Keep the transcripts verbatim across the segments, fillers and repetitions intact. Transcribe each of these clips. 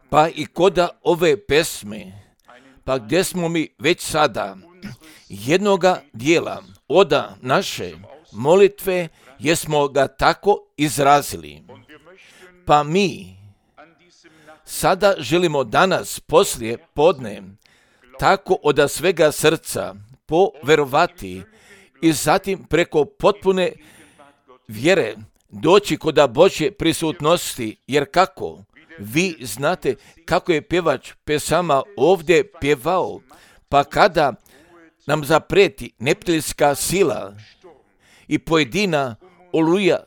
Pa i koda ove pesme, pa gdje smo mi već sada jednoga dijela oda naše molitve, jesmo ga tako izrazili. Pa mi sada želimo danas poslije podne tako od svega srca poverovati i zatim preko potpune vjere doći kod Božje prisutnosti, jer kako? Vi znate kako je pjevač pesama ovdje pjevao, pa kada nam zapreti neprijateljska sila i pojedina oluja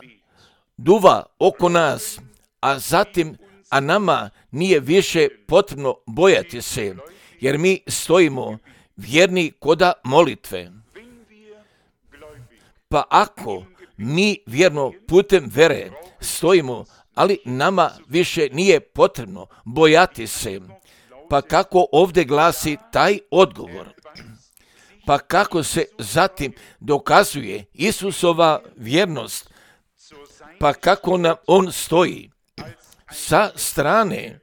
duva oko nas, a zatim, a nama nije više potrebno bojati se, jer mi stojimo vjerni koda molitve. Pa ako mi vjerno putem vere stojimo, ali nama više nije potrebno bojati se, pa kako ovdje glasi taj odgovor? Pa kako se zatim dokazuje Isusova vjernost? Pa kako nam on stoji sa strane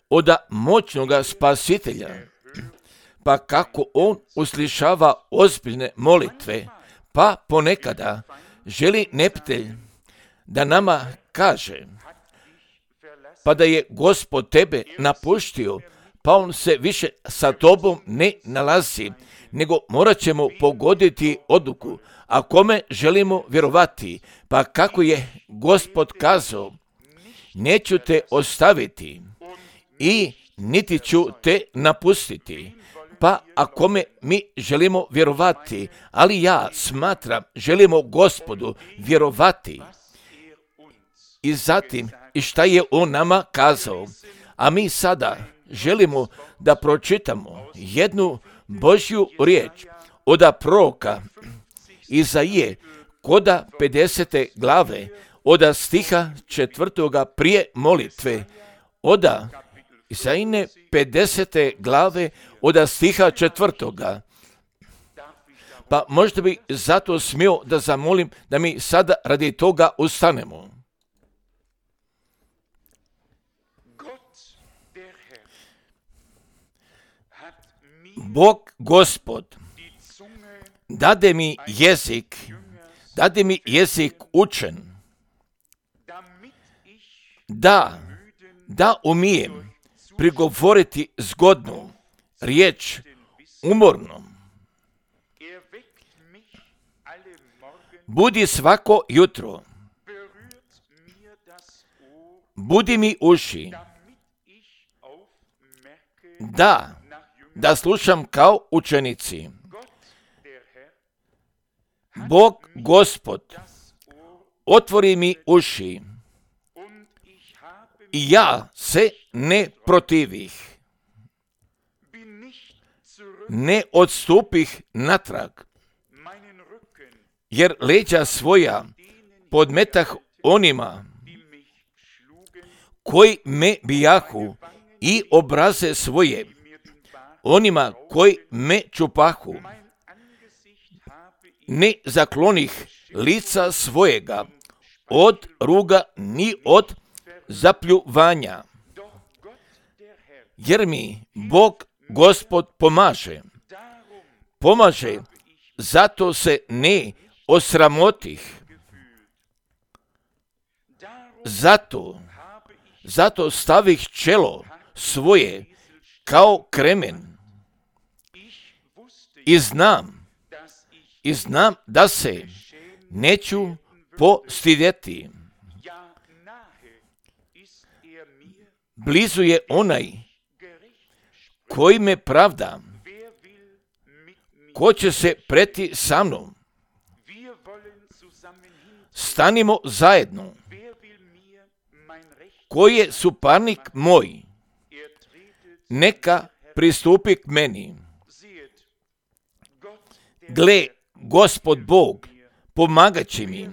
od moćnoga spasitelja? Pa kako on uslišava ozbiljne molitve? Pa ponekada želi neprijatelj da nama kaže, pa da je Gospod tebe napuštio, pa on se više sa tobom ne nalazi, nego morat ćemo pogoditi odluku, a kome želimo vjerovati. Pa kako je Gospod kazao, neću te ostaviti i niti ću te napustiti. Pa a kome mi želimo vjerovati, ali ja smatram, želimo Gospodu vjerovati. I zatim, i šta je on nama kazao? A mi sada želimo da pročitamo jednu Božju riječ od proroka Izaije, koda pedesete glave, od stiha četvrtoga prije molitve, od Isaijine pedesete glave, od stiha četvrtoga. Pa možda bi zato smio da zamolim da mi sada radi toga ustanemo. Bog Gospod dade mi jezik, dade mi jezik učen, da, da umijem prigovoriti zgodnu riječ umornom. Budi svako jutro, budi mi uši, da, da slušam kao učenici. Bog Gospod otvori mi uši i ja se ne protivih, ne odstupih natrag, jer leđa svoja podmetah onima koji me bijahu i obraze svoje onima koji me čupahu. Ne zaklonih lica svojega od ruga ni od zapljuvanja, jer mi Bog Gospod pomaže. Pomaže, zato se ne osramotih. Zato, zato stavih čelo svoje kao kremen. I znam, i znam da se neću postidjeti. Blizu je onaj koji me pravda, ko će se preti sa mnom. Stanimo zajedno. Koji je suparnik moj, neka pristupi k meni. Gle, Gospod Bog pomagat će mi.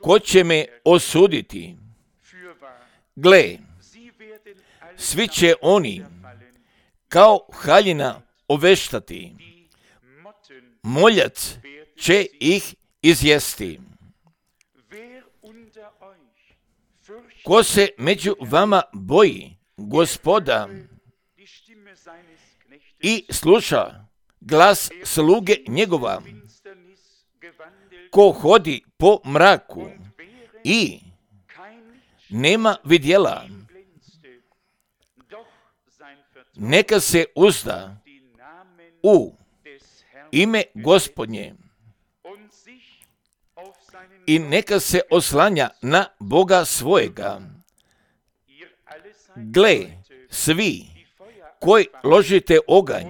Ko će me osuditi? Gle, svi će oni kao haljina oveštati. Moljac će ih izjesti. Ko se među vama boji Gospoda i sluša glas sluge njegova, ko hodi po mraku i nema vidjela, neka se uzda u ime Gospodnje i neka se oslanja na Boga svojega. Gle, svi koji ložite oganj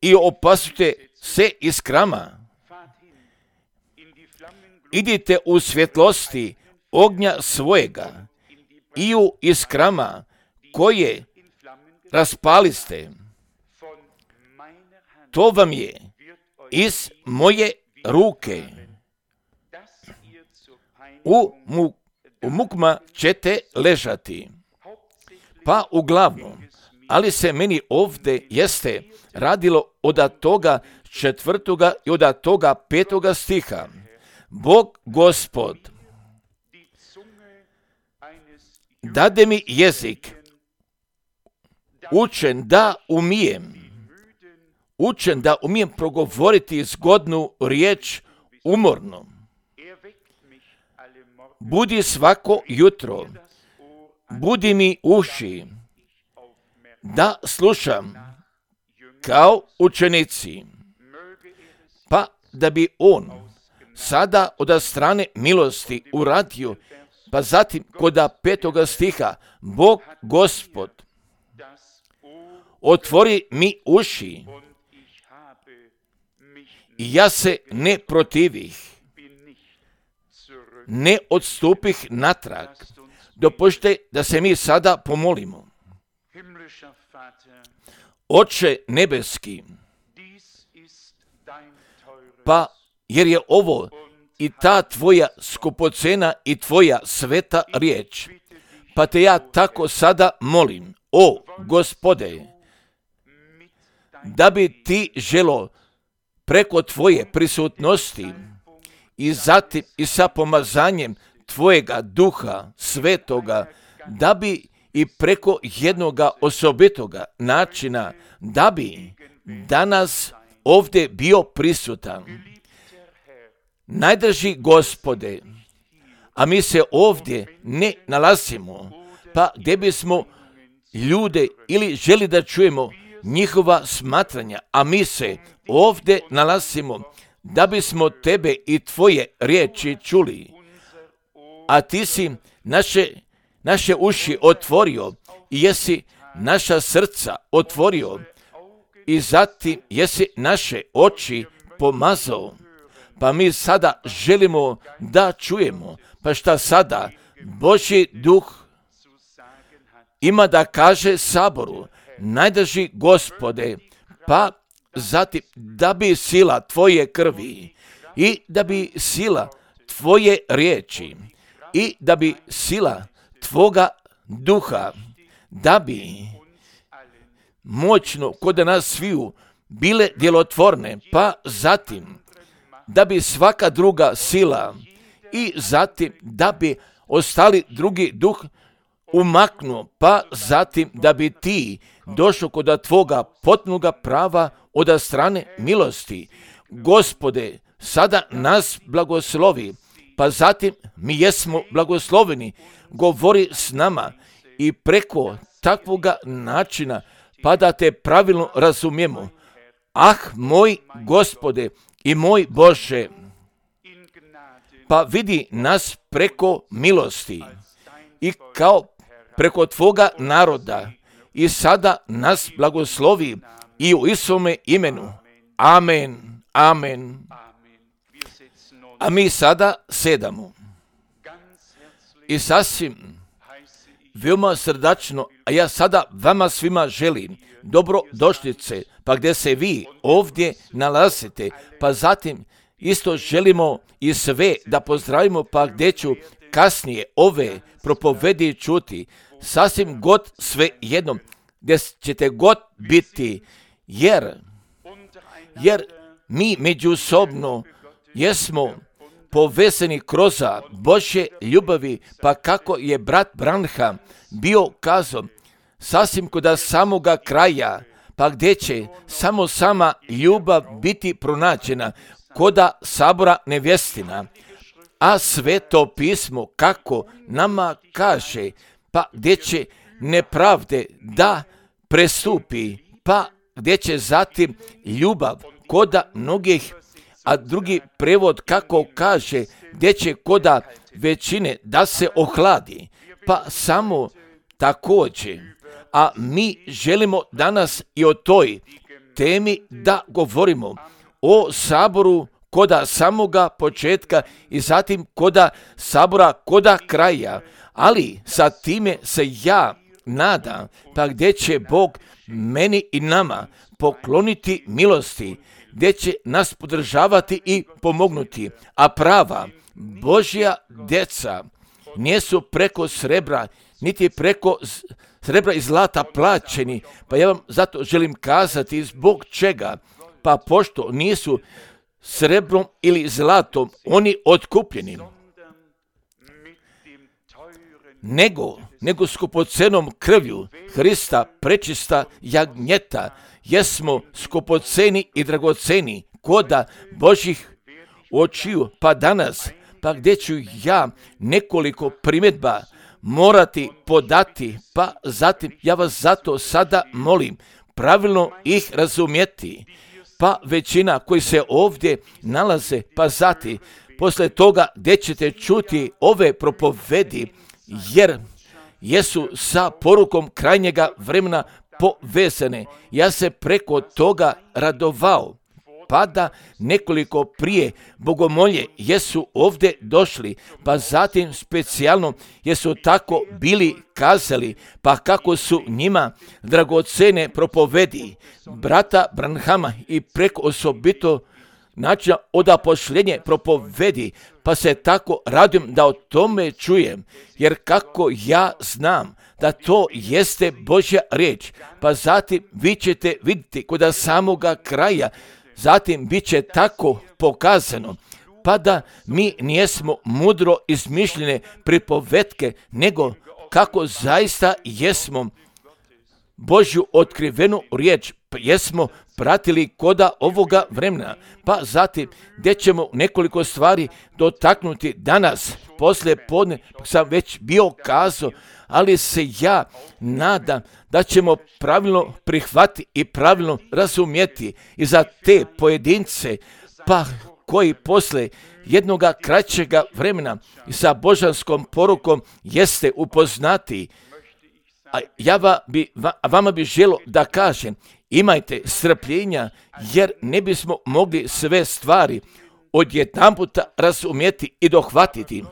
i opasujete se iskrama, idite u svjetlosti ognja svojega i u iskrama koje raspaliste. To vam je iz moje ruke. U, mu, u mukma ćete ležati. Pa uglavnom, ali se meni ovdje jeste radilo od toga četvrtoga i od toga petoga stiha. Bog Gospod dade mi jezik učen da umijem, učen da umijem progovoriti zgodnu riječ umorno. Budi svako jutro, budi mi uši, da slušam kao učenici, pa da bi on sada od strane milosti uradio, pa zatim kod petoga stiha, Bog Gospod otvori mi uši i ja se ne protivih, ne odstupih natrag. Dopušte da se mi sada pomolimo. Oče nebeski, pa jer je ovo i ta tvoja skupocena i tvoja sveta riječ, pa te ja tako sada molim, o Gospode, da bi ti želo preko tvoje prisutnosti i zatim i sa pomazanjem tvojega duha svetoga, da bi i preko jednoga osobitoga načina, da bi danas ovdje bio prisutan. Najdraži Gospode, a mi se ovdje ne nalazimo, pa gdje bismo ljude ili želi da čujemo njihova smatranja, a mi se ovdje nalazimo da bismo tebe i tvoje riječi čuli, a ti si naše, naše uši otvorio i jesi naša srca otvorio i zatim jesi naše oči pomazao. Pa mi sada želimo da čujemo, pa šta sada Božji duh ima da kaže saboru, najdraži Gospode, pa zatim da bi sila tvoje krvi i da bi sila tvoje riječi i da bi sila tvoga duha, da bi moćno kod nas sviju bile djelotvorne, pa zatim da bi svaka druga sila i zatim da bi ostali drugi duh umaknuo, pa zatim da bi ti došao kod tvoga potpunoga prava od strane milosti. Gospode, sada nas blagoslovi, pa zatim mi jesmo blagosloveni, govori s nama i preko takvoga načina, pa da te pravilno razumijemo. Ah, moj Gospode i moj Bože, pa vidi nas preko milosti i kao preko tvoga naroda i sada nas blagoslovi i u Isovome imenu. Amen, amen. A mi sada sedamo i sasvim veoma srdačno, a ja sada vama svima želim dobrodošlice, pa gdje se vi ovdje nalazite, pa zatim isto želimo i sve da pozdravimo, pa gdje ću kasnije ove propovedi čuti, sasvim god sve jednom, gdje ćete god biti, jer, jer mi međusobno jesmo povezani kroz Božje ljubavi, pa kako je brat Branham bio kazao, sasvim kod samoga kraja, pa gdje će samo sama ljubav biti pronađena, koda sabora nevjestina. A Sveto pismo kako nama kaže, pa gdje će nepravde da prestupi, pa gdje će zatim ljubav koda mnogih, a drugi prevod kako kaže, gdje će koda većine da se ohladi, pa samo također. A mi želimo danas i o toj temi da govorimo, o saboru koda samoga početka i zatim koda sabora koda kraja, ali sa time se ja nadam, pa gdje će Bog meni i nama pokloniti milosti, gdje će nas podržavati i pomognuti, a prava Božja djeca nisu preko srebra, niti preko srebra i zlata plaćeni, pa ja vam zato želim kazati zbog čega, pa pošto nisu srebrom ili zlatom oni otkupljeni, nego, nego skupocenom krvlju Hrista prečista jagnjeta, jesmo skupoceni i dragoceni koda Božih očiju, pa danas, pa gdje ću ja nekoliko primjedba morati podati, pa zatim ja vas zato sada molim pravilno ih razumjeti, pa većina koji se ovdje nalaze, pa zatim poslije toga gdje ćete čuti ove propovedi, jer jesu sa porukom krajnjega vremena povezane. Ja se preko toga radovao, pa da nekoliko prije bogomolje jesu ovdje došli, pa zatim specijalno jesu tako bili kazali, pa kako su njima dragocene propovedi brata Branhama i preko osobito načina odapošljenje propovedi, pa se tako radim da o tome čujem, jer kako ja znam da to jeste Božja riječ, pa zatim vi ćete vidjeti kod samoga kraja, zatim bit će tako pokazano, pa da mi nijesmo mudro izmišljene pripovetke, nego kako zaista jesmo Božju otkrivenu riječ, jesmo pratili koda ovoga vremena, pa zatim gdje ćemo nekoliko stvari dotaknuti danas, poslije podne sam već bio kazao, ali se ja nadam da ćemo pravilno prihvatiti i pravilno razumjeti i za te pojedince, pa koji poslije jednoga kraćega vremena i sa božanskom porukom jeste upoznati. A ja va bi, va, vama bi želo da kažem, imajte strpljenja, jer ne bismo mogli sve stvari odjedanputa razumjeti i dohvatiti.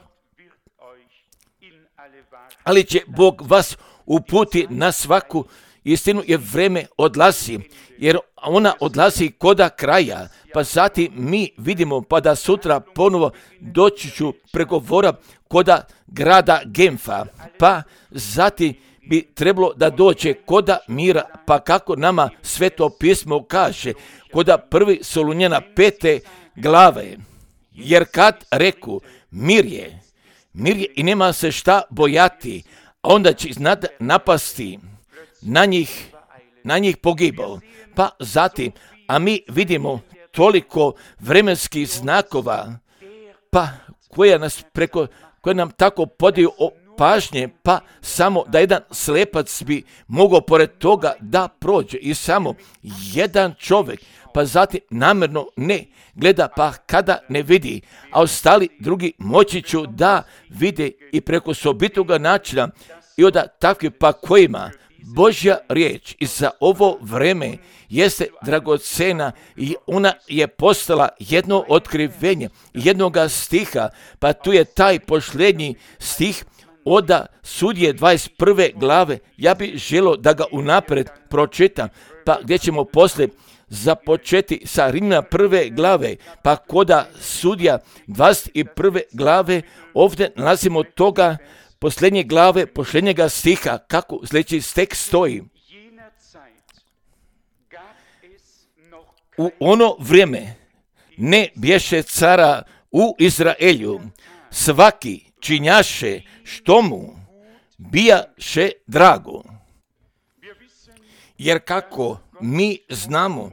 Ali će Bog vas uputi na svaku istinu, jer vreme odlazi, jer ona odlazi koda kraja, pa zatim mi vidimo pa da sutra ponovo doći ću pregovora koda grada Genfa, pa zatim bi trebalo da dođe koda mira, pa kako nama Sveto pismo kaže, koda prvi Solunjana pete glave, jer kad reku mir je, mir je i nema se šta bojati, a onda će iznad napasti na njih, na njih pogibao. Pa zatim, a mi vidimo toliko vremenskih znakova, pa koje nas preko, koje nam tako podiju o pažnje, pa samo da jedan slepac bi mogao pored toga da prođe i samo jedan čovjek, pa zatim namjerno ne gleda, pa kada ne vidi, a ostali drugi moći ću da vide i preko sobitoga načina i od takvih pa kojima Božja riječ i za ovo vreme jeste dragocena i ona je postala jedno otkrivenje jednoga stiha, pa tu je taj posljednji stih od Sudije dvadeset prve glave, ja bih želio da ga unaprijed pročitam, pa gdje ćemo poslije započeti sa Rimljana prve glave, pa koda Sudija dvadeset prve glave, ovdje nalazimo toga posljednje glave, posljednjega stiha, kako sljedeći tekst stoji. U ono vrijeme ne bješe cara u Izraelju svaki činjaše što mu bijaše drago. Jer kako mi znamo,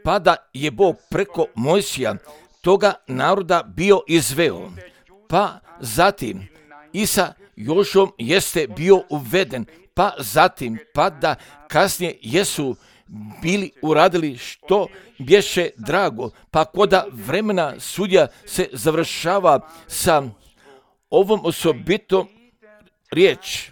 pa da je Bog preko Mojsija toga naroda bio izveo, pa zatim i sa Jošom jeste bio uveden, pa zatim pa da kasnije jesu bili uradili što bješe drago, pa koda vremena sudja se završava sa ovom osobitom riječ.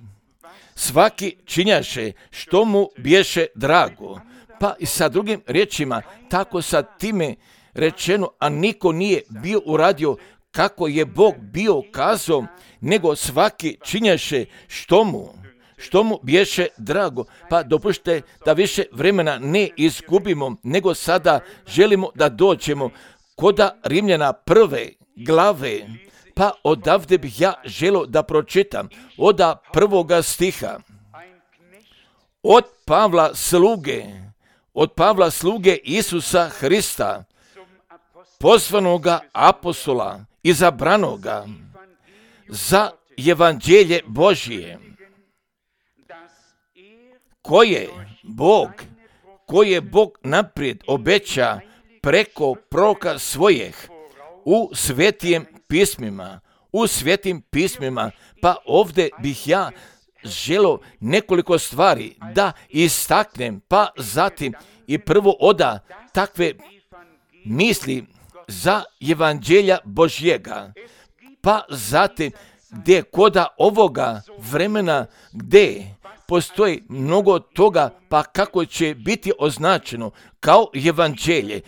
Svaki činjaše što mu bješe drago. Pa i sa drugim riječima, tako sa time rečeno, a niko nije bio uradio kako je Bog bio kazao, nego svaki činjaše što mu, što mu bješe drago. Pa dopušte da više vremena ne izgubimo, nego sada želimo da dođemo koda Rimljana prve glave. Pa odavde bih ja želio da pročitam od prvoga stiha. Od Pavla sluge, od Pavla sluge Isusa Hrista, poslanoga apostola, izabranoga za evanđelje Božije, koje Bog, koje Bog naprijed obeća preko proroka svojih u svetijem pismima, u svetim pismima. Pa ovdje bih ja želio nekoliko stvari da istaknem, pa zatim i prvo oda takve misli za evanđelja Božjega, pa zatim gdje koda ovoga vremena gdje postoji mnogo toga, pa kako će biti označeno kao evanđelje.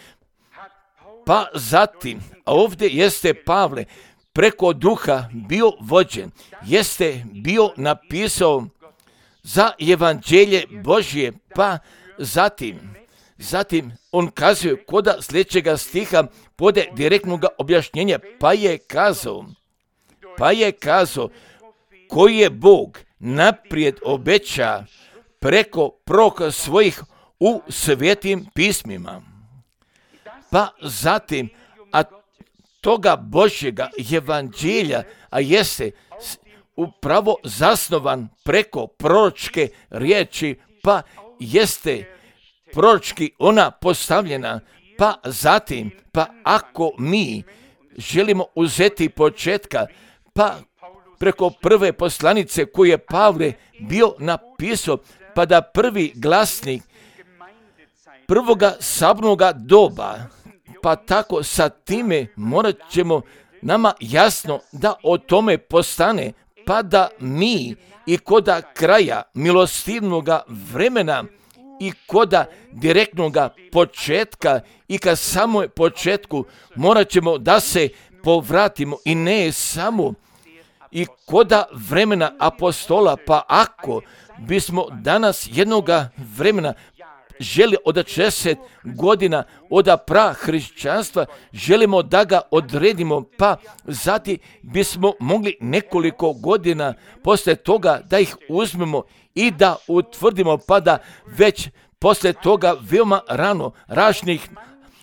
Pa zatim, a ovdje jeste Pavle preko duha bio vođen, jeste bio napisao za evanđelje Božje, pa zatim, zatim on kazuje koda sljedećega stiha pode direktnog objašnjenja, pa je kazao, pa je kazao koji je Bog naprijed obeća preko proroka svojih u svetim pismima. Pa zatim, a toga Božjega evanđelja, a jeste upravo zasnovan preko proročke riječi, pa jeste proročki ona postavljena, pa zatim, pa ako mi želimo uzeti početka, pa preko prve poslanice koju je Pavle bio napisao, pa da prvi glasnik prvoga sabnoga doba, pa tako sa time morat ćemo nama jasno da o tome postane, pa da mi i koda kraja milostivnoga vremena i koda direktnoga početka i ka samoj početku morat ćemo da se povratimo i ne samo i koda vremena apostola, pa ako bismo danas jednoga vremena želi od šezdeset godina od pra hrišćanstva, želimo da ga odredimo, pa zatim bismo mogli nekoliko godina posle toga da ih uzmemo i da utvrdimo, pa da već posle toga veoma rano ražnih,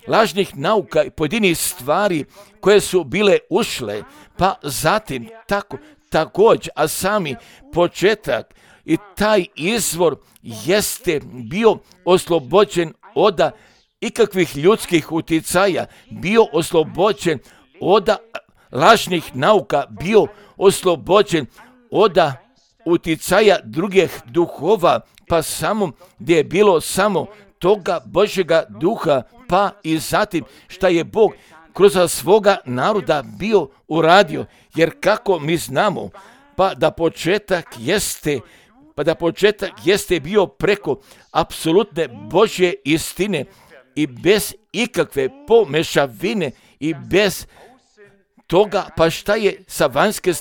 lažnih nauka i pojedinih stvari koje su bile ušle, pa zatim tako također, a sami početak i taj izvor jeste bio oslobođen od ikakvih ljudskih uticaja, bio oslobođen od lažnih nauka, bio oslobođen od uticaja drugih duhova, pa samo gdje je bilo samo toga Božjega duha, pa i zatim šta je Bog kroz svoga naroda bio uradio, jer kako mi znamo, pa da početak jeste pa da početak jeste bio preko apsolutne Božje istine i bez ikakve pomešavine i bez toga, pa šta je sa vanjske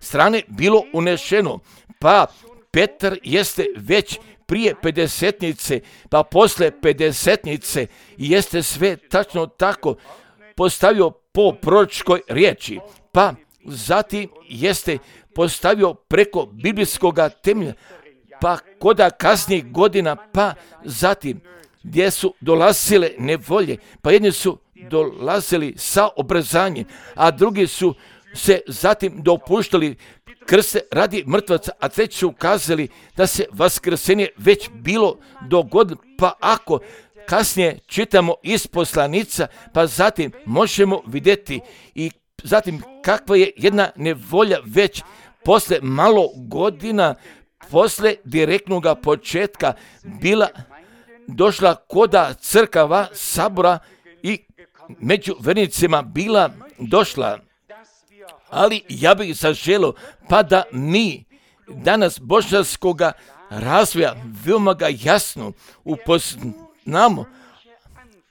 strane bilo unešeno. Pa Petar jeste već prije pedesetnice, pa posle pedesetnice jeste sve tačno tako postavio po proročkoj riječi, pa zatim jeste postavio preko biblijskog temelja, pa koda kasnijih godina, pa zatim gdje su dolazile nevolje, pa jedni su dolazili sa obrazanjem, a drugi su se zatim dopuštali krste radi mrtvaca, a treći su ukazali da se vaskrsenje već bilo dogodilo. Pa ako kasnije čitamo iz poslanica, pa zatim možemo vidjeti i zatim kakva je jedna nevolja već posle malo godina, posle direktnog početka bila došla koda crkava, sabora i među vernicima bila došla. Ali ja bih zaželio pa da mi danas božanskoga razvoja veoma ga jasno upoznamo,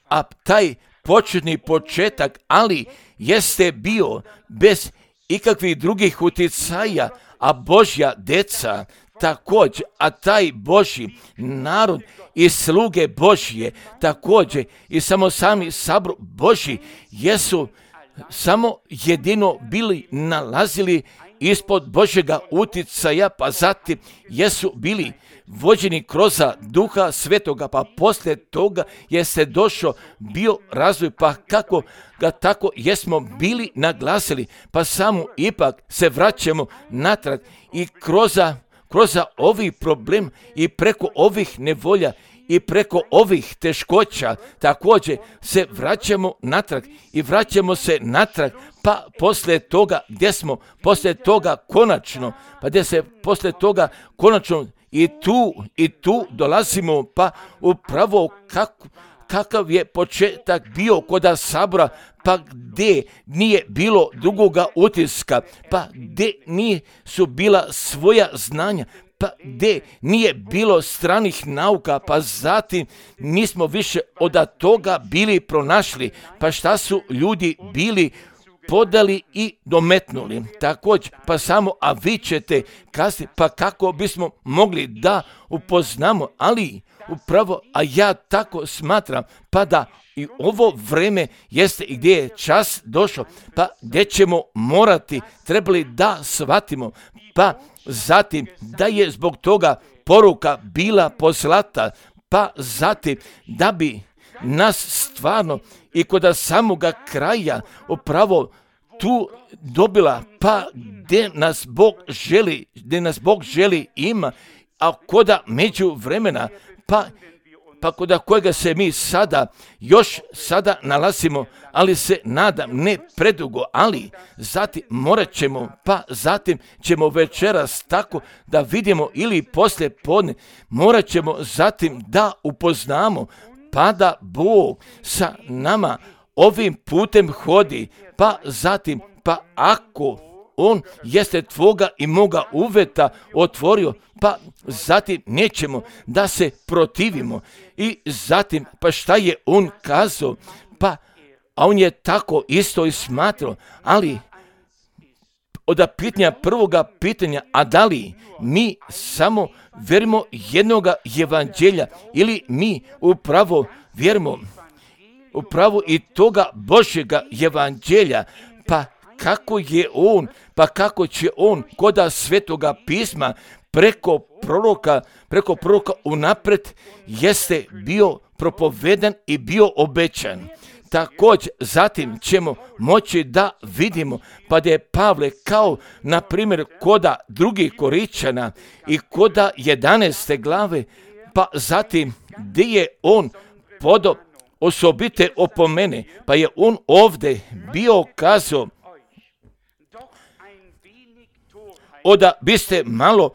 a taj početni početak, ali jeste bio bez ikakvih drugih utjecaja, a Božja deca također, a taj Božji narod i sluge Božje također i samo sami sabor Božji jesu samo jedino bili nalazili ispod Božjega utjecaja, pa zatim jesu bili vođeni kroz Duha Svetoga, pa poslije toga jeste došao bio razvoj, pa kako ga tako jesmo bili naglasili, pa samo ipak se vraćamo natrag i kroz, kroz ovi problem i preko ovih nevolja i preko ovih teškoća također se vraćamo natrag i vraćamo se natrag, pa poslije toga gdje smo, poslije toga konačno, pa gdje se poslije toga konačno i tu i tu dolazimo, pa upravo kako, kakav je početak bio kod sabora, pa gdje nije bilo drugoga utiska, pa gdje nisu bila svoja znanja, pa gdje nije bilo stranih nauka, pa zatim nismo više od toga bili pronašli, pa šta su ljudi bili podali i dometnuli. Također, pa samo, a vi ćete kasnije, pa kako bismo mogli da upoznamo, ali upravo, a ja tako smatram, pa da i ovo vreme jeste i gdje je čas došao, pa gdje ćemo morati, trebali da shvatimo, pa zatim da je zbog toga poruka bila poslata, pa zatim da bi nas stvarno i kod samoga kraja upravo tu dobila, pa gdje nas Bog želi, gdje nas Bog želi ima, a koda među vremena, pa pa kod kojega se mi sada, još sada nalazimo, ali se nadam ne predugo, ali zatim morat ćemo, pa zatim ćemo večeras tako da vidimo ili poslije podne, morat ćemo zatim da upoznamo, pa da Bog sa nama ovim putem hodi, pa zatim, pa ako On jeste tvoga i moga uveta otvorio, pa zatim nećemo da se protivimo. I zatim, pa šta je On kazao? Pa, a On je tako isto i smatrao, ali od pitanja, prvoga pitanja, a da li mi samo vjerimo jednoga evanđelja ili mi upravo vjerimo upravo i toga Božjega evanđelja, pa kako je on, pa kako će on koda Svetoga pisma preko proroka, preko proroka unaprijed jeste bio propovedan i bio obećan. Također, zatim ćemo moći da vidimo, pa da je Pavle kao, na primjer, koda drugih Koričana i koda jedanaeste glave, pa zatim gdje je on podo osobite opomene, pa je on ovdje bio kazao, oda biste malo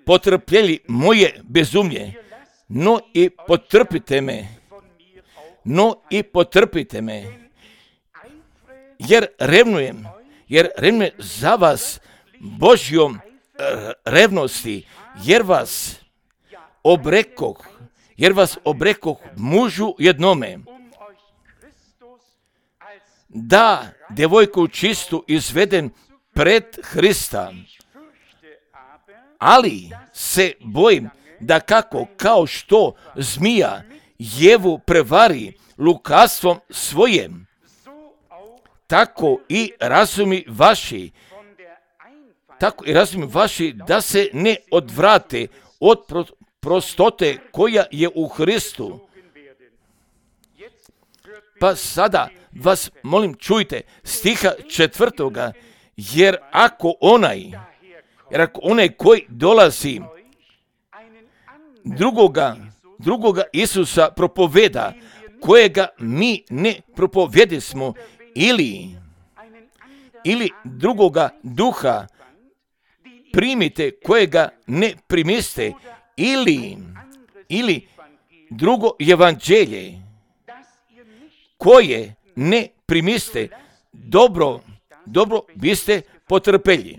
potrpjeli moje bezumlje, no i potrpite me, no i potrpite me, jer revnujem, jer revnujem za vas Božjom revnosti, jer vas obrekoh, jer vas obrekoh mužu jednome, da djevojku čistu izveden pred Hrista, ali se bojim da kako, kao što zmija Jevu prevari lukavstvom svojem, tako i razumi vaši, tako i razumi vaši da se ne odvrate od prostote koja je u Hristu. Pa sada vas molim čujte stiha četvrtoga, jer ako onaj, jer ako onaj koji dolazi drugoga, drugoga Isusa propoveda, kojega mi ne propovedismo, ili, ili drugoga duha primite, kojega ne primiste, ili, ili drugo evanđelje, koje ne primiste, dobro, dobro biste potrpeli.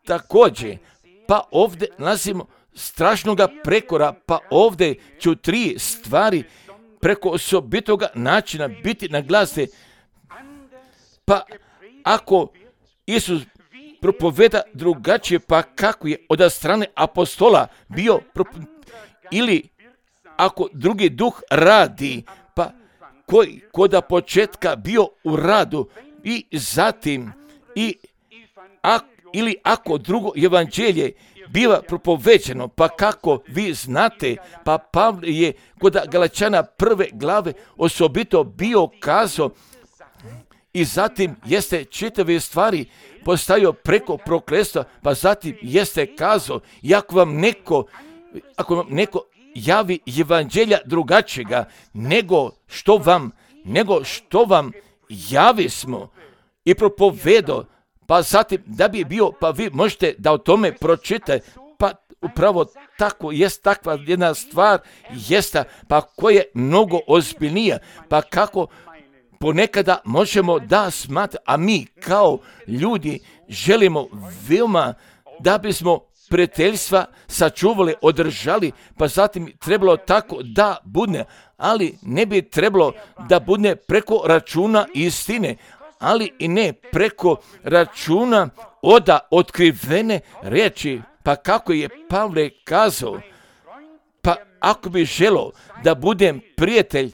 Također, pa ovdje nalazimo strašnoga prekora, pa ovdje ću tri stvari preko osobitoga načina biti naglasne. Pa ako Isus propoveda drugačije, pa kako je od strane apostola bio, ili ako drugi duh radi, pa koji koda početka bio u radu, i zatim, i a, ili ako drugo evanđelje biva propoveđeno, pa kako vi znate, pa Pavle je kod Galačana prve glave osobito bio kazao, i zatim jeste čitave stvari postavio preko prokletstva, pa zatim jeste kazao, i ako vam neko, ako vam neko javi evanđelja drugačijega, nego što vam, nego što vam javi smo i propovedo, pa zatim da bi bio, pa vi možete da o tome pročitate, pa upravo tako jest takva jedna stvar, jesta, pa koja je mnogo ozbiljnija, pa kako ponekada možemo da smatrati, a mi kao ljudi želimo veoma da bismo prijateljstva sačuvali, održali, pa zatim trebalo tako da bude, ali ne bi trebalo da bude preko računa istine, ali i ne preko računa oda otkrivene riječi, pa kako je Pavle kazao, pa ako bi želio da budem prijatelj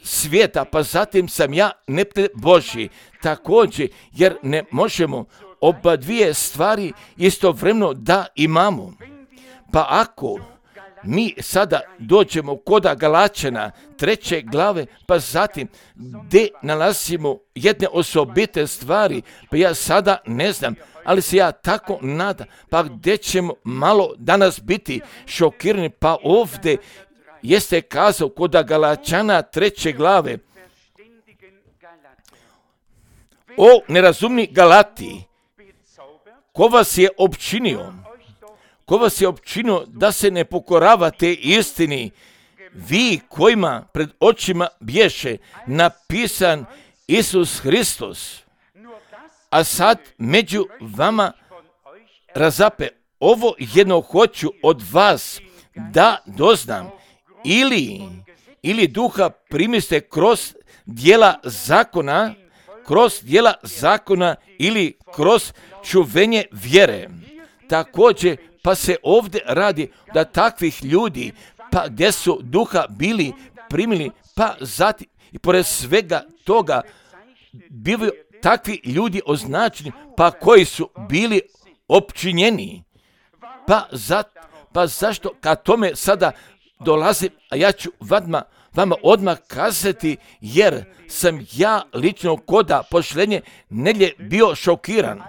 svijeta, pa zatim sam ja neprijatelj Božji, također, jer ne možemo oba dvije stvari istovremeno da imamo. Pa ako mi sada dođemo kod Galačana treće glave, pa zatim gdje nalazimo jedne osobite stvari, pa ja sada ne znam, ali se ja tako nadam, pa gdje ćemo malo danas biti šokirani, pa ovdje jeste kazao kod Galačana treće glave, o nerazumni Galati, ko vas je opčinio, ko vas je opčinio da se ne pokoravate istini, vi kojima pred očima bješe napisan Isus Hristos, a sad među vama razape, ovo jedno hoću od vas da doznam, ili, ili duha primiste kroz djela zakona, kroz djela zakona ili kroz čuvenje vjere. Također, pa se ovdje radi da takvih ljudi, pa gdje su duha bili primili, pa zatim i pored svega toga bivaju takvi ljudi označeni, pa koji su bili opčinjeni. Pa, za, pa zašto kad tome sada dolazim, a ja ću vama, vama odmah kazati, jer sam ja lično koda pošlenje nedjelje bio šokiran.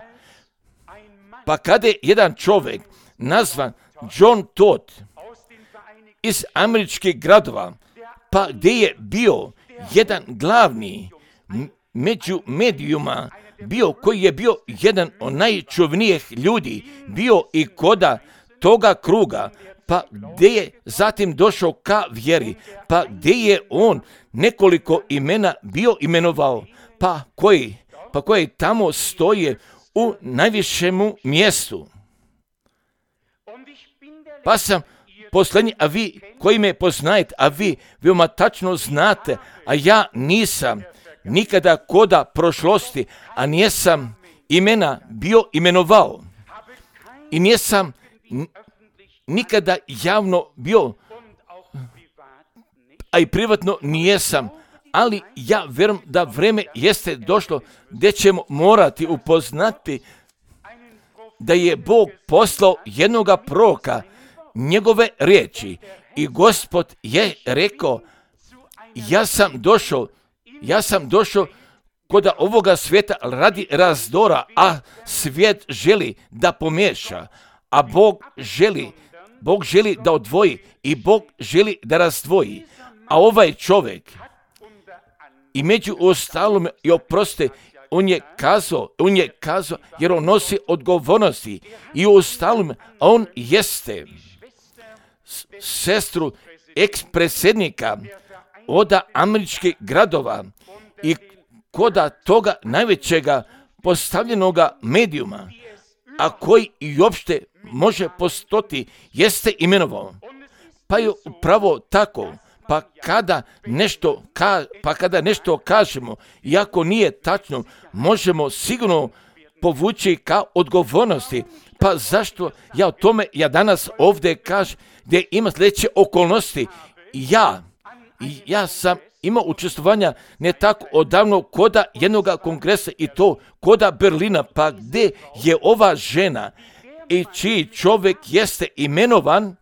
Pa kada je jedan čovjek nazvan John Todd iz američkih gradova, pa gdje je bio jedan glavni među medijuma, bio koji je bio jedan od najčuvnijih ljudi, bio i koda toga kruga, pa gdje je zatim došao ka vjeri, pa gdje je on nekoliko imena bio imenovao, pa koji, pa koji tamo stoje u najvišemu mjestu. Pa sam posljednji, a vi koji me poznajete, a vi veoma tačno znate, a ja nisam nikada koda prošlosti, a nisam imena bio imenovao. I nisam nikada javno bio, a i privatno nijesam, ali ja vjerujem da vreme jeste došlo gdje ćemo morati upoznati da je Bog poslao jednoga proroka, njegove riječi, i Gospod je rekao ja sam došao, ja sam došao kod ovoga svijeta radi razdora, a svijet želi da pomiješa, a Bog želi, Bog želi da odvoji i Bog želi da razdvoji. A ovaj čovjek, i među ostalom, i oproste, on je kazao, on je kazao, jer on nosi odgovornosti i u ostalom, on jeste sestru eks-predsjednika od američkih gradova i koda toga najvećega postavljenoga medijuma, a koji i uopšte može postoti, jeste imenovao. Pa je upravo tako. Pa kada nešto, ka, pa kada nešto kažemo, iako nije tačno, možemo sigurno povući ka odgovornosti. Pa zašto ja o tome ja danas ovdje kažem, gdje ima sljedeće okolnosti. Ja, ja sam imao učestvovanja ne tako odavno koda jednog kongresa i to koda Berlina, pa gdje je ova žena i čiji čovjek jeste imenovan,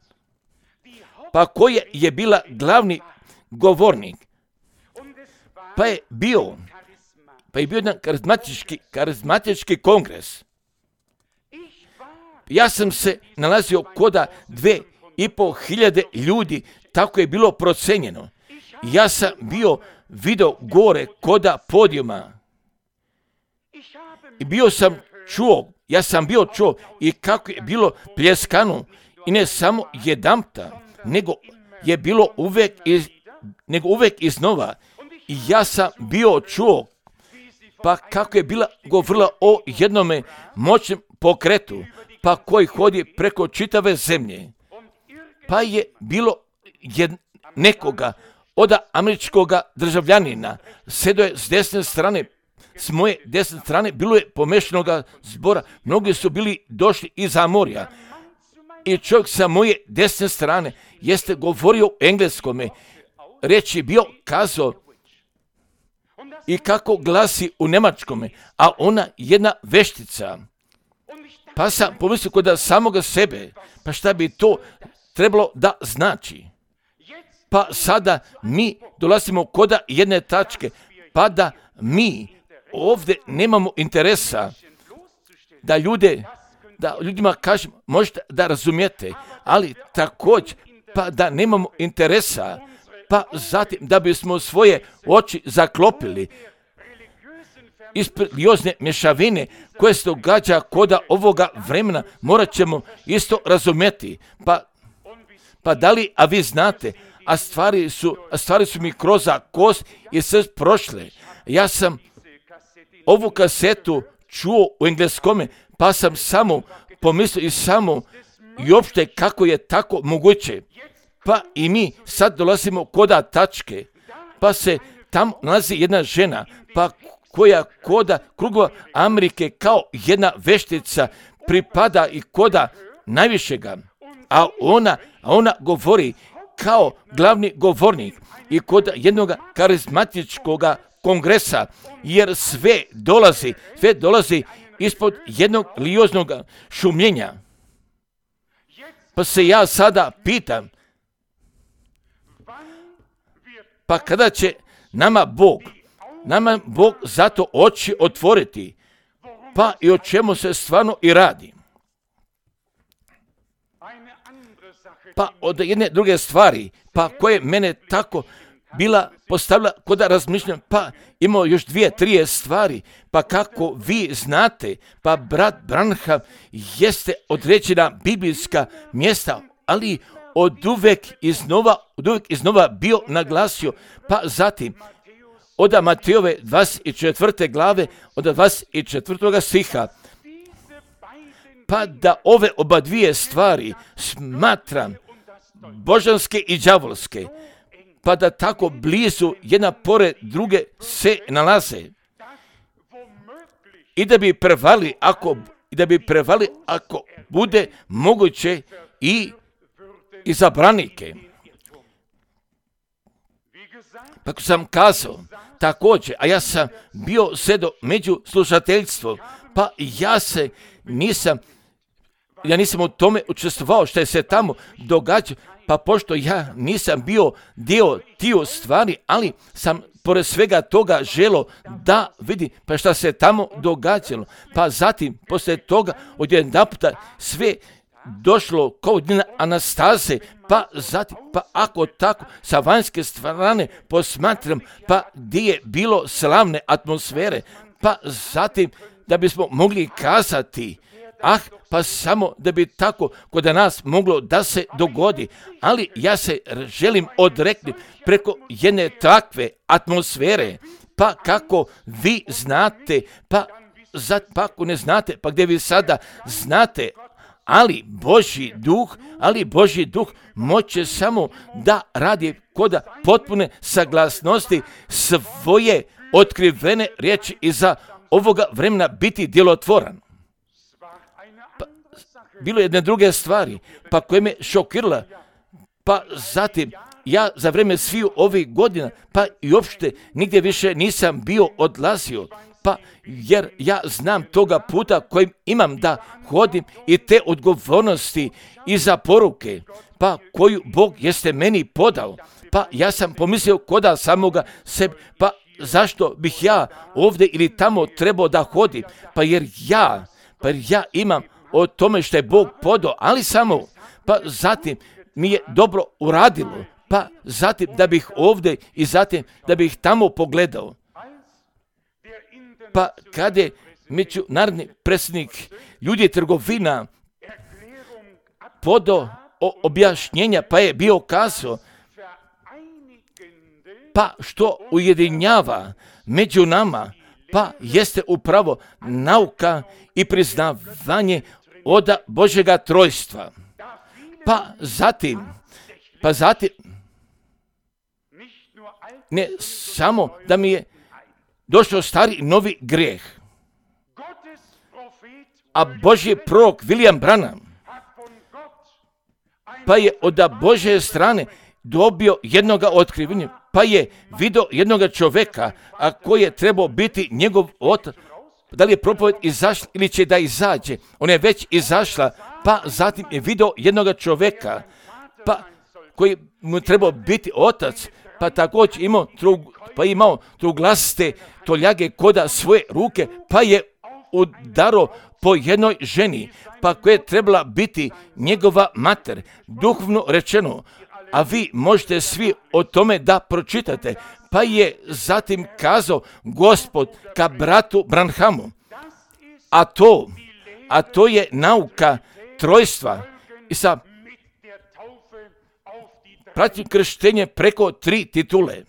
pa koja je bila glavni govornik, pa je bio, pa je bio jedan karizmatički, karizmatički kongres. Ja sam se nalazio koda dve i pol hiljade ljudi, tako je bilo procenjeno. Ja sam bio video gore koda podijuma i bio sam čuo, ja sam bio čuo i kako je bilo pljeskano i ne samo jedanputa, nego je bilo uvijek iz, nego uvijek iznova. I ja sam bio čuo, pa kako je bila govorila o jednome moćnom pokretu, pa koji hodi preko čitave zemlje. Pa je bilo jed, nekoga od američkoga državljanina, sedo je s desne strane, s moje desne strane, bilo je pomešanoga zbora, mnogi su bili došli iz Amorja. I čovjek sa moje desne strane jeste govorio u engleskome, reč je bio kazao i kako glasi u njemačkome, a ona jedna veštica. Pa sam pomislio kod samoga sebe, pa šta bi to trebalo da znači. Pa sada mi dolazimo kod jedne tačke, pa da mi ovdje nemamo interesa da ljude, da ljudima kažem, možete da razumijete, ali također pa da nemamo interesa, pa zatim da bismo svoje oči zaklopili ispred religiozne mješavine koje se događa koda ovoga vremena, morat ćemo isto razumjeti. Pa, pa da li, a vi znate, a stvari su, a stvari su mi kroz kost i sve prošle. Ja sam ovu kasetu čuo u engleskome, pa sam samo pomislio i samo i uopšte kako je tako moguće. Pa i mi sad dolazimo koda tačke, pa se tam nalazi jedna žena, pa koja koda krugova Amerike kao jedna veštica pripada i koda najvišega, a ona, a ona govori kao glavni govornik i kod jednog karizmatičkog kongresa, jer sve dolazi, sve dolazi ispod jednog religioznog šumljenja. Pa se ja sada pitam, pa kada će nama Bog, nama Bog zato oči otvoriti, pa i o čemu se stvarno i radi. Pa od jedne druge stvari, pa koje mene tako bila postavila kod razmišljam, pa imao još dvije, trije stvari, pa kako vi znate, pa brat Branham jeste određena biblijska mjesta, ali od uvek iznova, od uvek iznova bio naglasio, pa zatim od Matejove dvadeset četvrte glave, od dvadeset četvrtog stiha, pa da ove oba dvije stvari smatram božanske i đavolske, pa da tako blizu jedna pored druge se nalaze i da bi prevali ako, i da bi prevali ako bude moguće i i zabranike. Pa ko sam kazao, također, a ja sam bio sedo među slušateljstvom, pa ja se nisam, ja nisam u tome učestvovao što je se tamo događa, pa pošto ja nisam bio dio tiju stvari, ali sam pored svega toga želo da vidi pa šta se tamo događalo. Pa zatim, poslije toga, odjedanputa sve došlo kao dnevna Anastaze, pa zatim, pa ako tako sa vanjske strane posmatram, pa gdje je bilo slavne atmosfere, pa zatim da bismo mogli kazati, ah, pa samo da bi tako kod nas moglo da se dogodi, ali ja se želim odreknuti preko jedne takve atmosfere, pa kako vi znate, pa, za, pa ako ne znate, pa gdje vi sada znate, ali Božji duh, ali Božji duh moće samo da radi kod potpune saglasnosti svoje otkrivene riječi iza ovoga vremena biti djelotvoran. Pa, bilo je jedne druge stvari, pa koje me šokirala, pa zatim ja za vrijeme sviju ovih godina, pa i uopšte nigdje više nisam bio odlazio, pa jer ja znam toga puta kojim imam da hodim i te odgovornosti i za poruke, pa koju Bog jeste meni podao, pa ja sam pomislio koda samoga sebe, pa zašto bih ja ovdje ili tamo trebao da hodim, pa jer ja, pa jer ja imam o tome što je Bog podao, ali samo, pa zatim mi je dobro uradilo, pa zatim da bih ovdje i zatim da bih tamo pogledao. Pa kada je međunarodni predsjednik ljudi trgovina podao objašnjenja, pa je bio kazao, pa što ujedinjava među nama, pa jeste upravo nauka i priznavanje od Božjega trojstva. Pa zatim, pa zatim, ne samo da mi je došao stari novi grijeh, a Božji prorok William Branham, pa je od Božje strane dobio jednoga otkrivenja, pa je vidio jednoga čovjeka, a koji je trebao biti njegov otac. Da li je propoved izašla ili će da izađe? Ona je već izašla, pa zatim je vidio jednoga čovjeka, pa koji mu trebao biti otac, pa također imao, pa imao truglaste toljage koda svoje ruke, pa je udaro po jednoj ženi, pa koja je trebala biti njegova mater, duhovno rečeno, a vi možete svi o tome da pročitate. Pa je zatim kazao Gospod ka bratu Branhamu, a to, a to je nauka trojstva i sa pratim krštenje preko tri titule.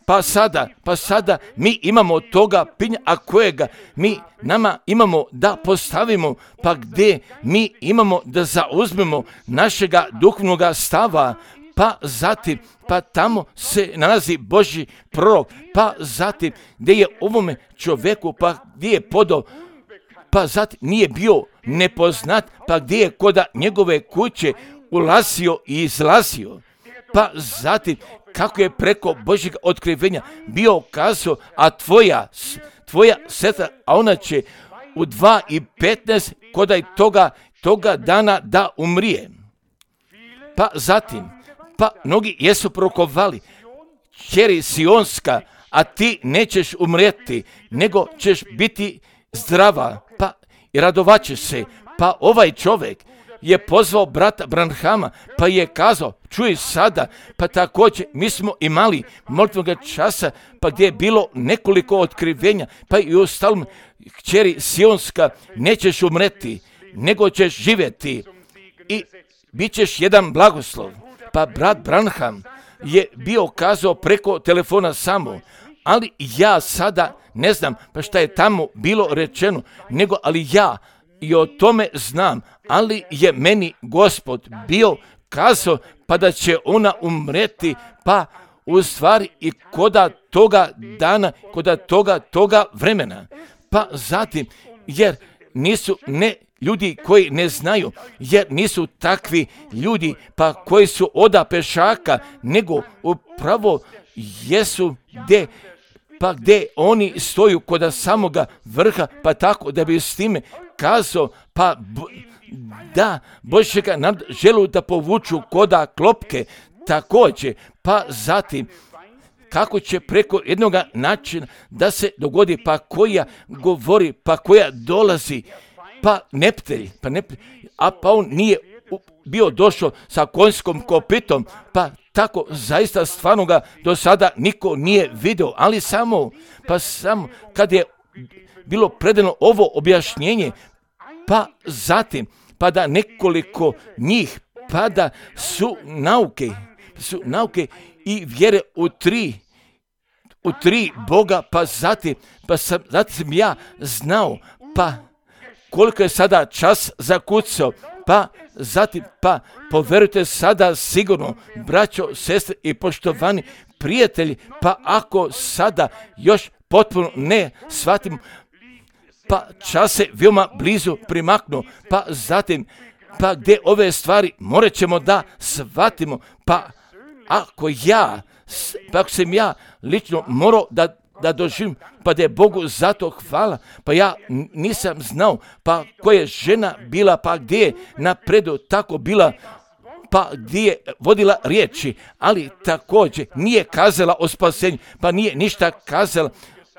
Pa sada, pa sada mi imamo toga pinja, a kojega mi nama imamo da postavimo, pa gdje mi imamo da zauzmemo našega duhovnog stava, pa zatim, pa tamo se nalazi Božji prorok, pa zatim gdje je ovome čovjeku, pa gdje je podao, pa zatim nije bio nepoznat, pa gdje je koda njegove kuće ulazio i izlazio, pa zatim kako je preko Božjeg otkrivenja bio kazao, a tvoja, tvoja sestra, a ona će u dva i petnaest kodaj toga, toga dana da umrije. Pa zatim, pa mnogi jesu prokovali, kćeri Sionska, a ti nećeš umrijeti, nego ćeš biti zdrava, pa i radovaćeš se. Pa ovaj čovjek je pozvao brata Branhama, pa je kazao, čuj sada, pa također mi smo imali molitvenog časa, pa gdje je bilo nekoliko otkrivenja, pa i u stalom, kćeri Sionska, nećeš umreti, nego ćeš živjeti i bit ćeš jedan blagoslov. Pa brat Branham je bio kazao preko telefona samo, ali ja sada ne znam pa šta je tamo bilo rečeno, nego ali ja i o tome znam, ali je meni Gospod bio kazao pa da će ona umreti, pa u stvari i koda toga dana, koda toga, toga vremena. Pa zatim, jer nisu ne ljudi koji ne znaju, jer nisu takvi ljudi pa koji su oda pešaka, nego upravo jesu gdje pa gdje oni stoju kod samoga vrha, pa tako da bi s time kazao, pa da Božjega nam želu da povuču koda klopke, također, pa zatim kako će preko jednog načina da se dogodi, pa koja govori, pa koja dolazi, pa neptelj, pa neptelj, a pa on nije bio došao sa konjskom kopitom, pa tako zaista stvarno ga do sada niko nije vidio, ali samo, pa samo kad je bilo predano ovo objašnjenje, pa zatim, pa da nekoliko njih, pa da su nauke, su nauke i vjere u tri, u tri Boga, pa zatim, pa sam, zatim sam ja znao, pa koliko je sada čas zakucao, pa zatim, pa poverujte sada sigurno, braćo, sestre i poštovani prijatelji, pa ako sada još potpuno ne shvatimo, pa čas se veoma blizu primaknuo, pa zatim, pa gdje ove stvari morat ćemo da shvatimo, pa ako ja, pa ako sam ja lično morao da, da doživim, pa da je Bogu zato hvala, pa ja nisam znao, pa koja je žena bila, pa gdje je napredu tako bila, pa gdje je vodila riječi, ali također nije kazala o spasenju, pa nije ništa kazala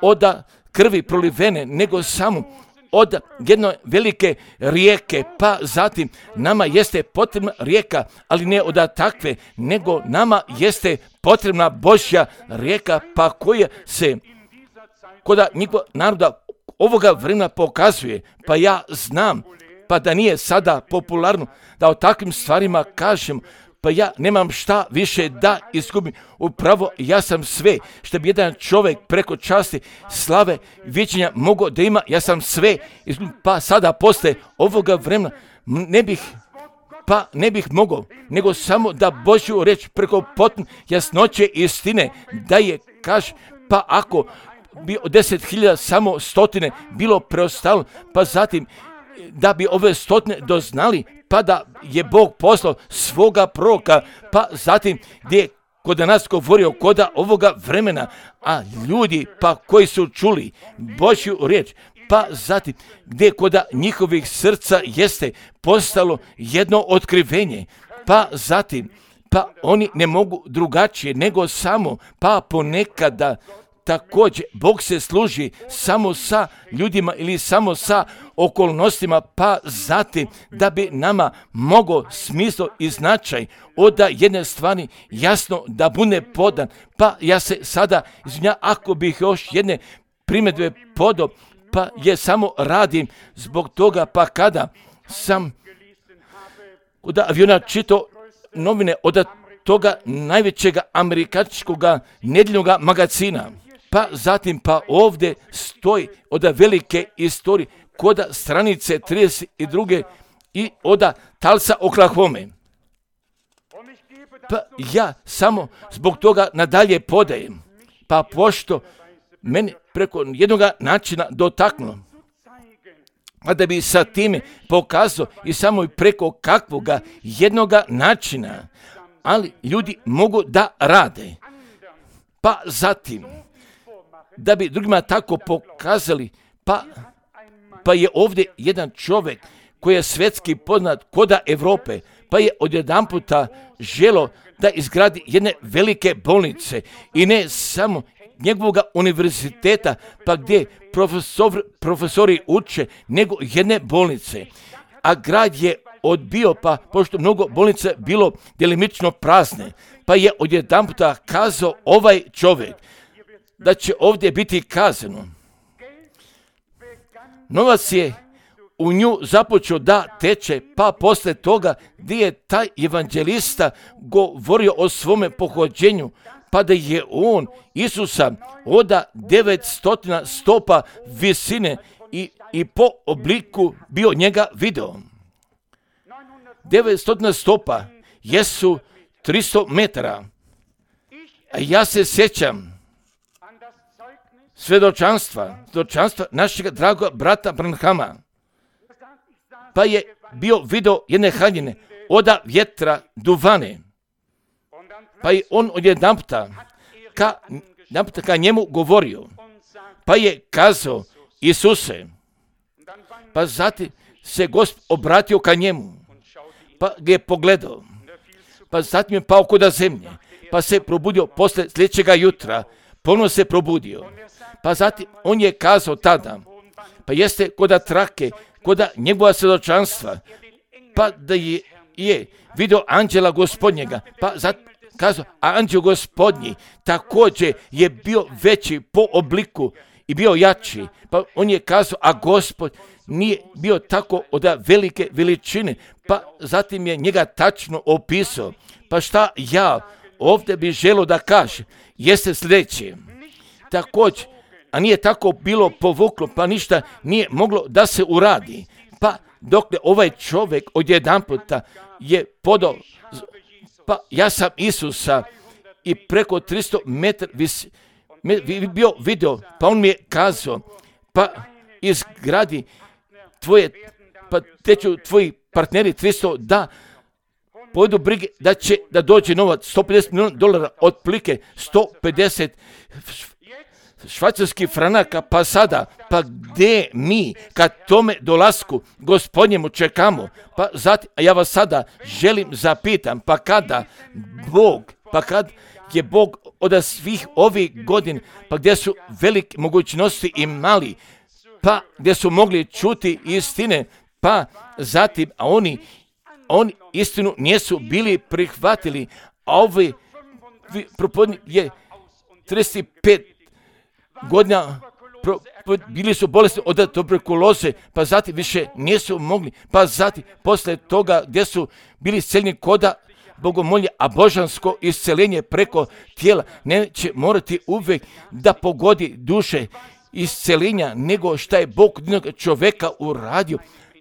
od krvi prolivene, nego samo od jedne velike rijeke, pa zatim nama jeste potrebna rijeka, ali ne od takve, nego nama jeste potrebna Božja rijeka, pa koja se kod njegova naroda ovoga vremena pokazuje, pa ja znam, pa da nije sada popularno da o takvim stvarima kažem, pa ja nemam šta više da izgubim. Upravo ja sam sve što bi jedan čovjek preko časti, slave, viđenja mogao da ima, ja sam sve izgubim, pa sada posle ovoga vremena ne bih, pa ne bih mogao, nego samo da Božju reč preko potpune jasnoće istine, da je kaže, pa ako bi od deset hiljada samo stotine bilo preostalo, pa zatim da bi ove stotine doznali, pa da je Bog poslao svoga proroka, pa zatim gdje je kod nas govorio koda ovoga vremena, a ljudi pa koji su čuli Božju riječ, pa zatim gdje kod njihovih srca jeste postalo jedno otkrivenje, pa zatim pa oni ne mogu drugačije nego samo, pa ponekada također Bog se služi samo sa ljudima ili samo sa okolnostima, pa zatim da bi nama mogao smisao i značaj od jedne stvari jasno da bude podan. Pa ja se sada izvinjam ako bih još jedne primjedbe podao, pa je samo radim zbog toga, pa kada sam od aviona čitao novine od toga najvećega američkog nedjeljnog magazina, pa zatim pa ovdje stoji od velike istorije kod stranice trideset dva i od Tulsa, Oklahoma. Pa ja samo zbog toga nadalje podajem, pa pošto meni preko jednog načina dotaknulo, a da bi sa time pokazao i samo i preko kakvoga jednog načina, ali ljudi mogu da rade, pa zatim da bi drugima tako pokazali, pa, pa je ovdje jedan čovjek koji je svjetski poznat koda Europe, pa je odjedanputa želo da izgradi jedne velike bolnice i ne samo njegovog univerziteta, pa gdje profesor, profesori uče, nego jedne bolnice. A grad je odbio, pa pošto mnogo bolnica bilo djelimično prazne, pa je odjedanputa kazao ovaj čovjek da će ovdje biti kazano. Novac je u nju započeo da teče, pa posle toga gdje je taj evanđelista govorio o svome pohođenju, pa da je on Isusa oda devetsto stopa visine i, i po obliku bio njega video. devetsto stopa jesu tristo metara. A ja se sjećam svjedočanstva, svjedočanstva našeg dragog brata Branhama, pa je bio video jedne haljine oda vjetra duvane, pa je on odjedanputa ka naput ka njemu govorio, pa je kazao, Isuse, pa zatim se Gospod obratio ka njemu, pa ga je pogledao, pa zatim je pao koda zemlje, pa se probudio posle sljedećega jutra, ponovno se probudio, pa zatim on je kazao tada, pa jeste koda trake, koda njegova svjedočanstva, pa da je, je vidio anđela Gospodnjega, pa zatim kazao, a anđel Gospodnji također je bio veći po obliku i bio jači, pa on je kazao, a Gospod nije bio tako od velike veličine, pa zatim je njega tačno opisao. Pa šta ja ovdje bih želio da kažem, jeste sljedeće. Također, a nije tako bilo povuklo, pa ništa nije moglo da se uradi. Pa dokle ovaj čovjek odjedan puta je podao, pa ja sam Isusa i preko tristo metara vis, me, bio video, pa on mi je kazao, pa izgradi tvoje, pa teću tvoji partneri tristo da pojedu brige da će da dođe novac sto pedeset milijuna dolara, otprilike sto pedeset švajcarskih franaka, pa sada, pa gdje mi kad tome dolasku Gospodnjemu čekamo, pa zatim, a ja vas sada želim zapitam, pa kada Bog, pa kad je Bog od svih ovih godina, pa gdje su velike mogućnosti imali, pa gdje su mogli čuti istine, pa zatim, a oni, oni istinu nisu bili prihvatili, a ovi propodnik je trideset pet godina pro, pro, bili su bolesni od tuberkuloze, pa zatim više nisu mogli, pa zatim posle toga gdje su bili isceljeni koda bogomolje, a božansko isceljenje preko tijela neće morati uvijek da pogodi duše isceljenja, nego šta je Bog kod jednog čovjeka uradio,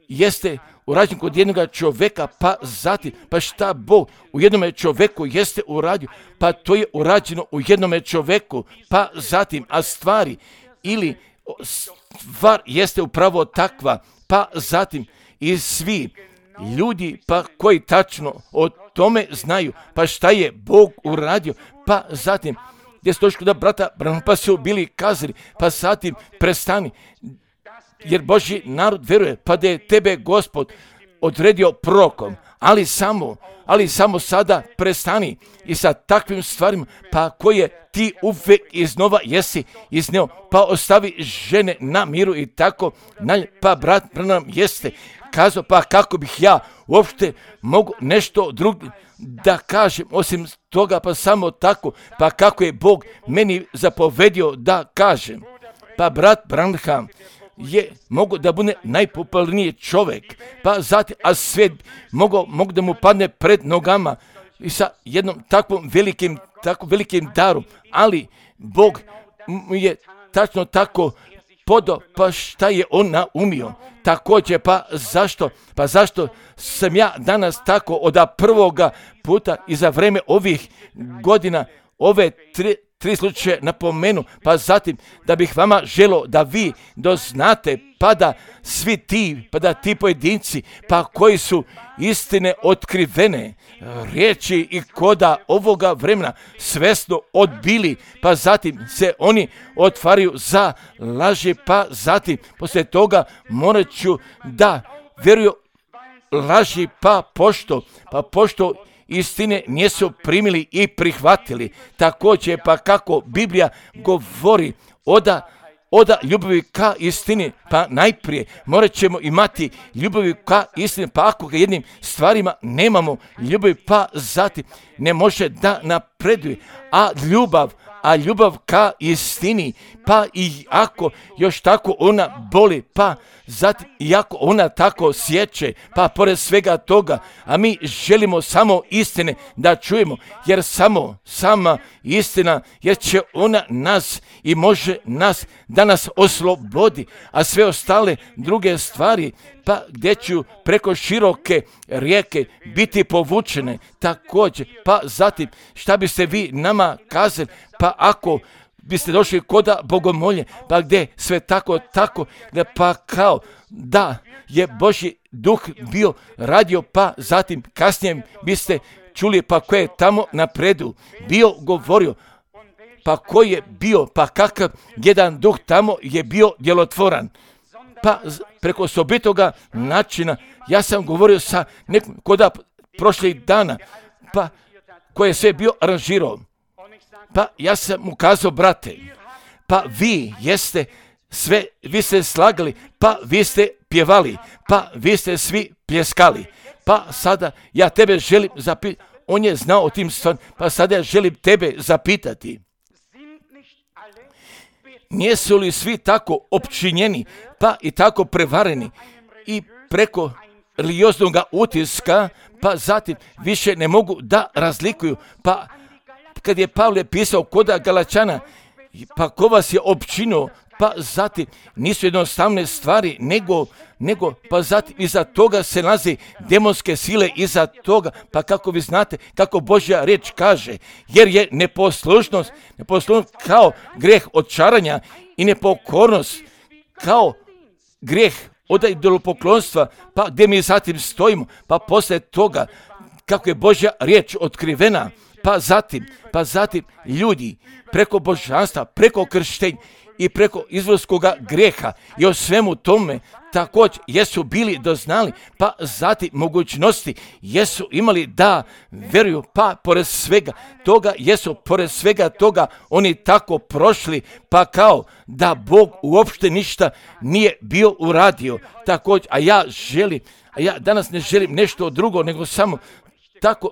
jeste urađen kod jednog čovjeka, pa zatim, pa šta Bog u jednom čovjeku jeste uradio, pa to je urađeno u jednom čovjeku, pa zatim, a stvari ili stvar jeste upravo takva, pa zatim i svi ljudi pa koji tačno o tome znaju, pa šta je Bog uradio, pa zatim gdje su došli da brata Branhama, pa su bili kazali, pa zatim prestani, jer Božji narod veruje, pa da je tebe Gospod odredio prorokom, ali samo, ali samo sada prestani i sa takvim stvarima, pa koje ti uvijek iznova jesi izneo, pa ostavi žene na miru i tako, pa brat Branham jeste kazao, pa kako bih ja uopšte mogu nešto drugo da kažem, osim toga, pa samo tako, pa kako je Bog meni zapovedio da kažem. Pa brat Branham je mogu da bude najpopularniji čovjek, pa zatim, a svijet mogu, mogu da mu padne pred nogama i sa jednom takvom velikim, tako velikim darom, ali Bog je tačno tako podao, pa šta je on naumio. Također, pa zašto? Pa zašto sam ja danas tako od prvoga puta i za vreme ovih godina, ove tri, tri slučaje napomenu, pa zatim da bih vama želio da vi doznate, pa da svi ti, pa da ti pojedinci, pa koji su istine otkrivene, riječi i koda ovoga vremena svesno odbili, pa zatim se oni otvaraju za laži, pa zatim poslije toga morat ću da vjeruju laži, pa pošto, pa pošto istine nisu primili i prihvatili. Također, pa kako Biblija govori oda, oda ljubavi ka istini, pa najprije morat ćemo imati ljubavi ka istini, pa ako ga jednim stvarima nemamo ljubavi, pa zatim ne može da napreduje, a ljubav, a ljubav ka istini, pa i ako još tako ona boli, pa zatim i ako ona tako sjeće, pa pored svega toga, a mi želimo samo istine da čujemo, jer samo sama istina, jer će ona nas i može nas da nas oslobodi, a sve ostale druge stvari, pa gdje ću preko široke rijeke biti povučene također, pa zatim šta biste vi nama kazali, pa ako biste došli koda bogomolje, pa gdje sve tako, tako, da pa kao da je Božji duh bio radio, pa zatim kasnije biste čuli pa koje je tamo napredu bio govorio, pa koji je bio, pa kakav jedan duh tamo je bio djelotvoran. Pa preko osobitoga načina, ja sam govorio sa nekom koda prošlih dana, pa koji je sve bio aranžirao. Pa ja sam mu kazao, brate, pa vi jeste sve, vi ste slagali, pa vi ste pjevali, pa vi ste svi pljeskali. Pa sada ja tebe želim zapitati, on je znao o tim stvarima, pa sada ja želim tebe zapitati. Nijesu li svi tako opčinjeni, pa i tako prevareni i preko religioznog utiska, pa zatim više ne mogu da razlikuju. Pa kad je Pavle pisao koda Galačana, pa ko vas je opčinio, pa zatim nisu jednostavne stvari, nego, nego pa zatim iza toga se nalazi demonske sile, iza toga, pa kako vi znate, kako Božja riječ kaže, jer je neposlušnost, neposlušnost kao greh očaranja i nepokornost kao greh od idolopoklonstva, pa gdje mi zatim stojimo, pa poslije toga kako je Božja riječ otkrivena, pa zatim, pa zatim ljudi preko božanstva, preko krštenja i preko izvorskoga grijeha i o svemu tome također jesu bili doznali, pa zatim mogućnosti jesu imali da vjeruju, pa pored svega toga jesu pored svega toga oni tako prošli, pa kao da Bog uopšte ništa nije bio uradio također, a ja želim, a ja danas ne želim nešto drugo nego samo tako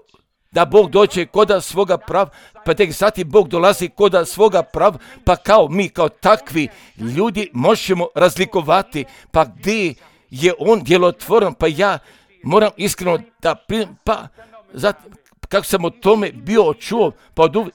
da Bog dođe koda svoga prava, pa tek zatim Bog dolazi koda svoga prava, pa kao mi, kao takvi ljudi možemo razlikovati, pa gdje je on djelotvoran, pa ja moram iskreno da primim, pa zatim, kako sam o tome bio čuo, pa od uvijek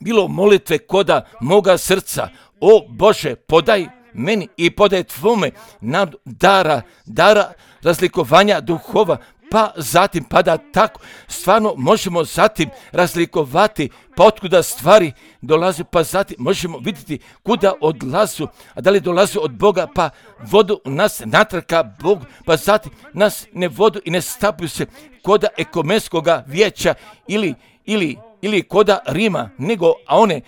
bilo molitve koda moga srca, o Bože, podaj meni i podaj tvome nam dara, dara razlikovanja duhova, pa zatim, pa da tako stvarno možemo zatim razlikovati, pa otkuda stvari dolaze, pa zatim možemo vidjeti kuda odlazu, a da li dolaze od Boga, pa vodu nas natrka Bog, pa zatim nas ne vodu i ne stapuju se koda ekumenskoga vijeća ili, ili, ili koda Rima, nego, a one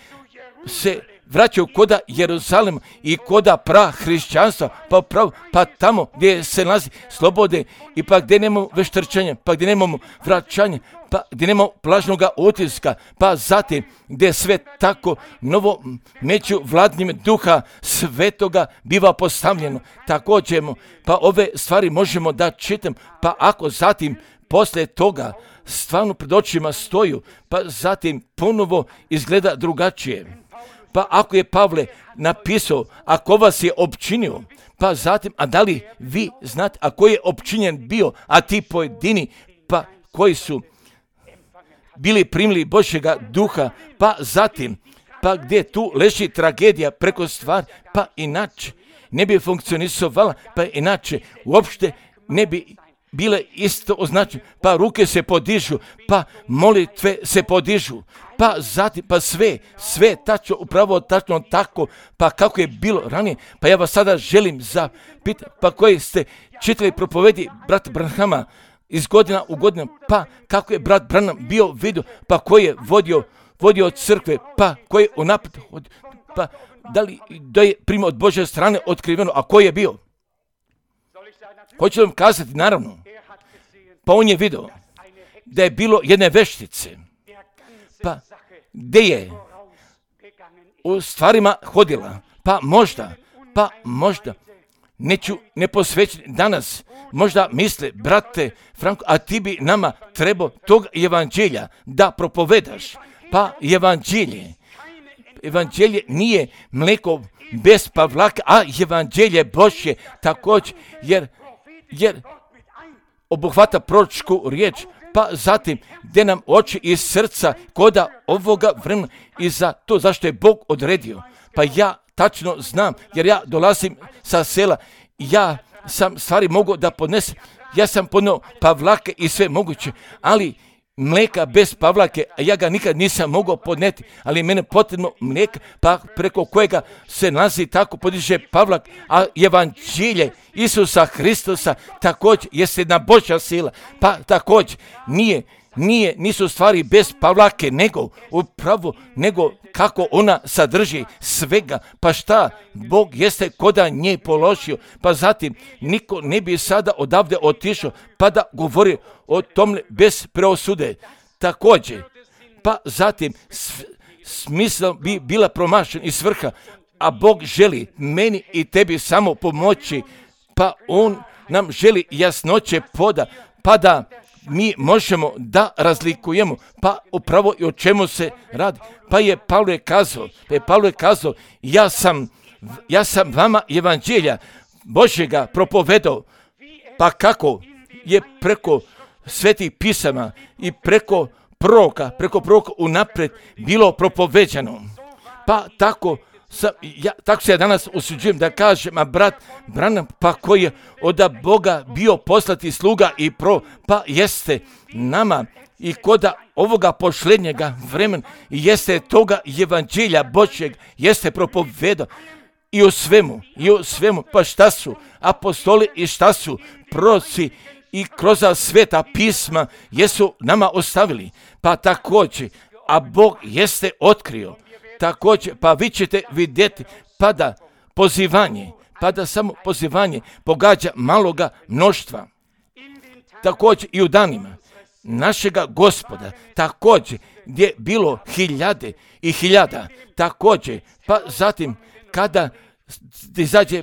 se vraćaju koda Jeruzalem i koda pra hrišćanstva, pa prav, pa tamo gdje se nalazi slobode i pa gdje nemamo veštrčanja, pa gdje nemamo vraćanja, pa gdje nemamo plažnoga utiska, pa zatim gdje sve tako novo među vladnjim duha svetoga biva postavljeno. Također, pa ove stvari možemo da čitam, pa ako zatim poslije toga stvarno pred očima stoju, pa zatim ponovo izgleda drugačije. Pa ako je Pavle napisao, ako vas je opčinio, pa zatim, a da li vi znate, a koji je opčinjen bio, a ti pojedini, pa koji su bili primili Božjega duha, pa zatim, pa gdje tu leži tragedija preko stvari, pa inače ne bi funkcionisovala, pa inače uopšte ne bi bile isto označene, pa ruke se podižu, pa molitve se podižu, pa zatim, pa sve, sve tačno, upravo tačno tako, pa kako je bilo ranije, pa ja vas sada želim zapitati, pa koji ste čitali propovedi brata Branhama iz godina u godinu, pa kako je brat Branham bio vidio, pa koji je vodio, vodio crkve, pa koji je unaprijed, pa da li da je primio od Božje strane otkriveno, a koji je bio? Hoću vam kazati, naravno, pa on je vidio da je bilo jedne veštice, pa gdje je u stvarima hodila, pa možda, pa možda, neću neposvećeni danas, možda misle, brate Franko, a ti bi nama trebao tog evanđelja da propovedaš, pa evanđelje, evanđelje nije mleko bez pavlaka, a evanđelje Božje također, jer jer obuhvata proročku riječ, pa zatim gdje nam oči iz srca koda ovoga vremena i za to zašto je Bog odredio. Pa ja tačno znam, jer ja dolazim sa sela, ja sam stvari mogao da podnesem, ja sam podnio pavlake i sve moguće, ali mlijeka bez pavlake, a ja ga nikad nisam mogao podneti, ali mene potrebno mlijeka, pa preko kojega se nalazi tako podiže pavlak, a evanđelje Isusa Hristosa također jeste jedna Božja sila, pa također nije, nije, nisu stvari bez Pavlake, nego upravo, nego kako ona sadrži svega. Pa šta? Bog jeste koda nje položio, pa zatim niko ne bi sada odavde otišao, pa da govori o tome bez preosude. Također, pa zatim smisla bi bila promašena i svrha, a Bog želi meni i tebi samo pomoći, pa On nam želi jasnoće poda, pa da mi možemo da razlikujemo, pa upravo i o čemu se radi. Pa je Pavle kazao, pa je Pavle kazao, ja sam, ja sam vama evanđelja Božjega propovedao, pa kako je preko svetih pisama i preko proroka, preko proroka unaprijed bilo propoveđano. Pa tako Sa, ja, tako se ja danas usuđujem da kažem, a brat Branham, pa koji je od Boga bio poslati sluga i pro, pa jeste nama i koda ovoga posljednjega vremena, jeste toga evanđelja Božjeg, jeste propovedao i u svemu, i u svemu, pa šta su apostoli i šta su proroci i kroz sveta pisma jesu nama ostavili, pa također, a Bog jeste otkrio. Također, pa vi ćete vidjeti, pa da pozivanje, pa da samo pozivanje pogađa maloga mnoštva. Također i u danima našega Gospoda, također gdje je bilo hiljade i hiljada, također, pa zatim kada izađe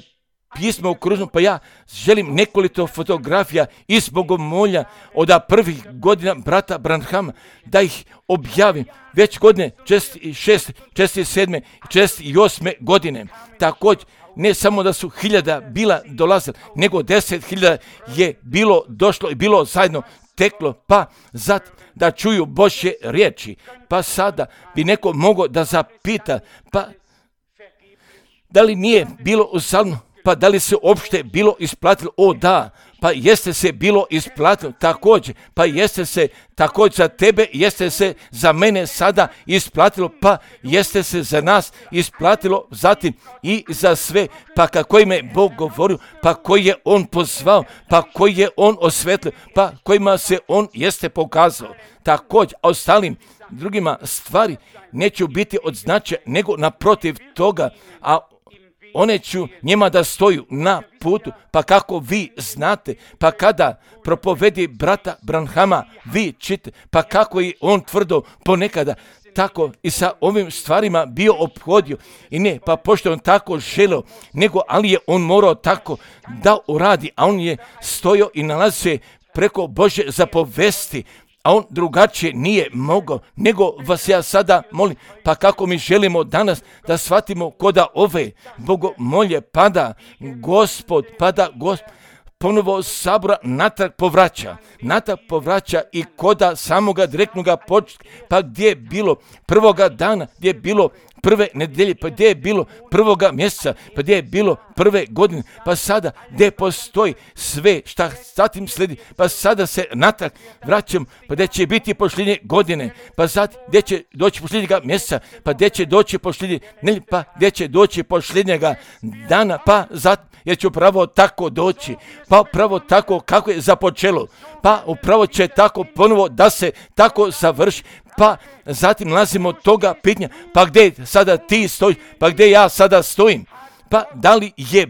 pismo u kružnom, pa ja želim nekoliko fotografija iz Bogomolja od prvih godina brata Branhama, da ih objavim već godine šest, sedam, osam godine. Također, ne samo da su hiljada bila dolazila, nego deset hiljada je bilo došlo i bilo zajedno teklo, pa zato da čuju Božje riječi. Pa sada bi neko mogao da zapita, pa da li nije bilo u salmu, pa da li se uopšte bilo isplatilo? O da, pa jeste se bilo isplatilo također, pa jeste se također za tebe, jeste se za mene sada isplatilo, pa jeste se za nas isplatilo, zatim i za sve, pa kako im je Bog govorio, pa koji je On pozvao, pa koji je On osvetlio, pa kojima se On jeste pokazao. Također, a ostalim drugima stvari neću biti od značaja, nego naprotiv toga, a one ću njima da stoju na putu, pa kako vi znate, pa kada propovedi brata Branhama, vi čite, pa kako je on tvrdo ponekada, tako i sa ovim stvarima bio ophodio. I ne, pa pošto on tako želeo, nego ali je on morao tako da uradi, a on je stojao i nalazi se preko Božje zapovesti, a on drugačije nije mogao, nego vas ja sada molim, pa kako mi želimo danas da shvatimo koda ove bogomolje pada Gospod, pada Gospod, ponovo sabora natrag povraća, natrag povraća i koda samoga direktnoga početka, pa gdje je bilo prvoga dana, gdje je bilo prve nedelje, pa gdje je bilo prvoga mjeseca, pa gdje je bilo prve godine, pa sada gdje postoji sve šta zatim slijedi, pa sada se natrag vraćam, pa gdje će biti posljednje godine, pa zatim gdje će doći posljednjega mjeseca, pa gdje će doći posljednje nedelje, pa gdje će doći posljednjega dana, pa zatim jer će upravo tako doći, pa upravo tako kako je započelo, pa upravo će tako ponovo da se tako završi, pa zatim nalazimo toga pitanja, pa gdje sada ti stojiš, pa gdje ja sada stojim, pa da li je,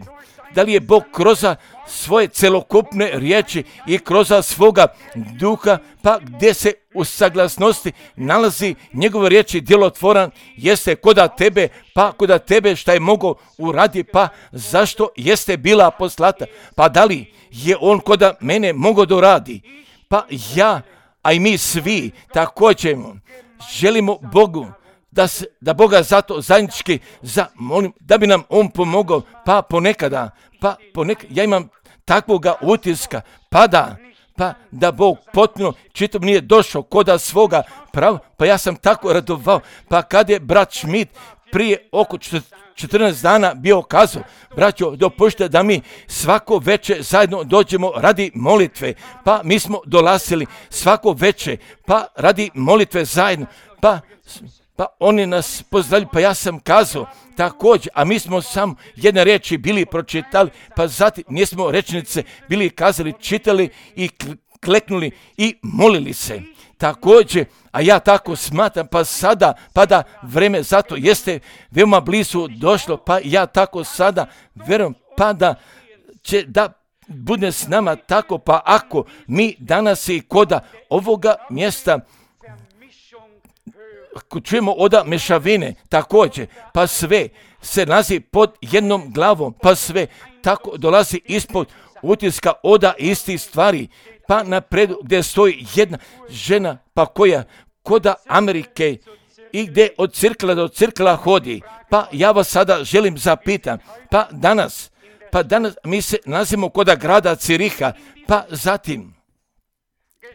da li je Bog kroz svoje celokupne riječi i kroz svoga duha, pa gdje se u saglasnosti nalazi njegove riječi djelotvoran, jeste koda tebe, pa koda tebe šta je mogao uradi, pa zašto jeste bila poslata, pa da li je on koda mene mogao da uradi, pa ja, a i mi svi također želimo Bogu da, se, da Boga zato zajednički zamolim, da bi nam On pomogao, pa ponekada, pa ponekada, ja imam takvoga utiska, pa da, pa da Bog potpuno čitom nije došao koda svoga prava, pa ja sam tako radovao, pa kad je brat Schmidt prije oko četrnaest dana bio kazao, braćo, dopušte da mi svako večer zajedno dođemo radi molitve, pa mi smo dolazili svako večer, pa radi molitve zajedno, pa, pa oni nas pozdravili, pa ja sam kazao također, a mi smo samo jedne riječi bili pročitali, pa zatim nismo rečenice bili kazali, čitali i kleknuli i molili se. Također, a ja tako smatram, pa sada, pa da vreme zato jeste veoma blizu došlo, pa ja tako sada vjerujem, pa da će da bude s nama tako, pa ako mi danas i koda ovoga mjesta čujemo oda mešavine, također, pa sve se nalazi pod jednom glavom, pa sve tako dolazi ispod utiska oda istih stvari, pa napredu gdje stoji jedna žena, pa koja koda Amerike i gdje od cirkla do cirkla hodi, pa ja vas sada želim zapitam, pa danas, pa danas mi se nalazimo koda grada Ciriha, pa zatim,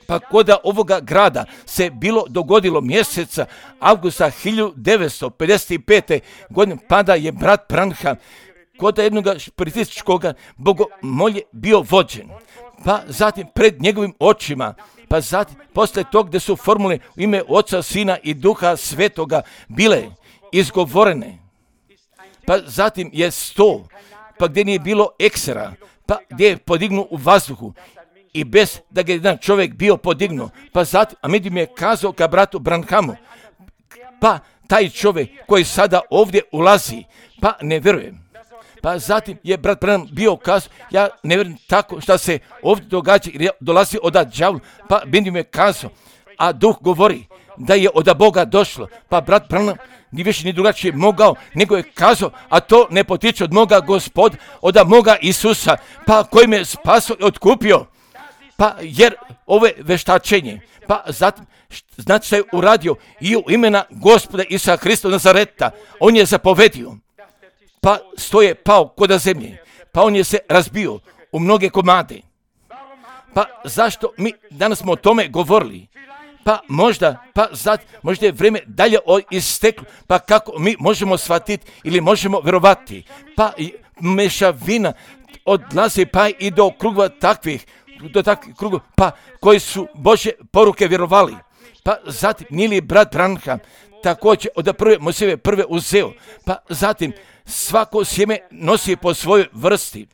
pa koda ovoga grada se bilo dogodilo mjeseca avgusta hiljadu devetsto pedeset pete. godine, pa da je brat Branham koda jednog špiritističkog bogomolje bio vođen, pa zatim pred njegovim očima, pa zatim posle tog gdje su formule u ime Oca, Sina i Duha Svetoga bile izgovorene, pa zatim je sto, pa gdje nije bilo eksera, pa gdje je podignu u vazduhu i bez da ga jedan čovjek bio podignuo, pa zatim, a među mi je kazao ka bratu Branhamu, pa taj čovjek koji sada ovdje ulazi, pa ne vjerujem. Pa zatim je brat Branham bio kazao, ja ne vjerujem tako što se ovdje događa, jer dolazi od đavla, pa među mi je kazao, a duh govori da je od Boga došlo, pa brat Branham ni više ni drugačije mogao, nego je kazao, a to ne potiče od moga Gospoda, od moga Isusa, pa koji me spasio i otkupio. Pa jer ove veštačenje, pa zatim, znači što je uradio i u imena Gospoda Isusa Hrista Nazareta, on je zapovedio, pa stoje pao koda zemlje, pa on je se razbio u mnoge komade. Pa zašto mi danas smo o tome govorili? Pa možda, pa zatim, možda je vrijeme dalje isteklo, pa kako mi možemo shvatiti ili možemo vjerovati, pa mešavina odlazi pa i do krugova takvih, do takvih krugova, pa koji su Božje poruke vjerovali. Pa zatim, nije li brat Branham također od prve Mojsijeve prve uzeo, pa zatim svako sjeme nosi po svojoj vrsti,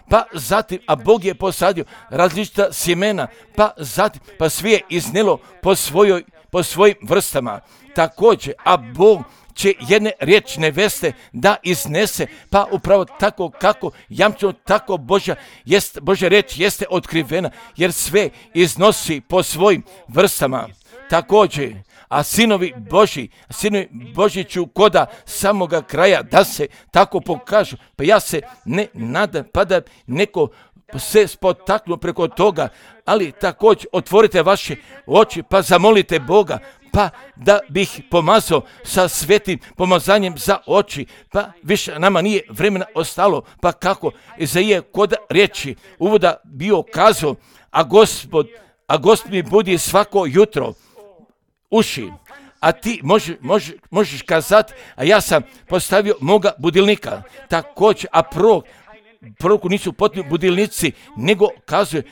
pa zatim, a Bog je posadio različita sjemena, pa zatim, pa svi je iznelo po svojoj, po svojim vrstama. Također, a Bog će jedne riječne veste da iznese, pa upravo tako kako jamčeno tako Božja, jest, Božja riječ jeste otkrivena, jer sve iznosi po svojim vrstama. Također, a sinovi Božji, sinovi Božji ću koda samoga kraja da se tako pokažu, pa ja se ne nadam, pa da neko se spotaknu preko toga, ali također otvorite vaše oči, pa zamolite Boga, pa da bih pomazao sa svetim pomazanjem za oči, pa više nama nije vremena ostalo, pa kako Izaija kod riječi uvoda bio kazao, a Gospod, a Gospod mi budi svako jutro uši, a ti možeš, možeš, možeš kazati, a ja sam postavio moga budilnika, također, a prorok, proroku nisu potrebni budilnici, nego kazuje,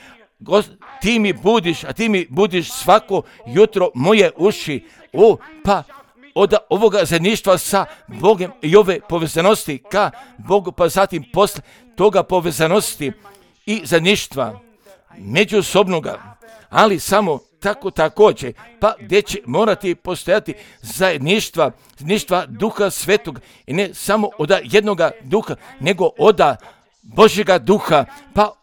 ti mi budiš, a ti mi budiš svako jutro moje uši, o, pa od ovoga zajedništva sa Bogom i ove povezanosti ka Bogu, pa zatim posle toga povezanosti i zajedništva međusobnoga, ali samo tako također, pa gdje će morati postojati zajedništva, zajedništva Duha Svetog i ne samo od jednoga duha, nego od Božjega duha, pa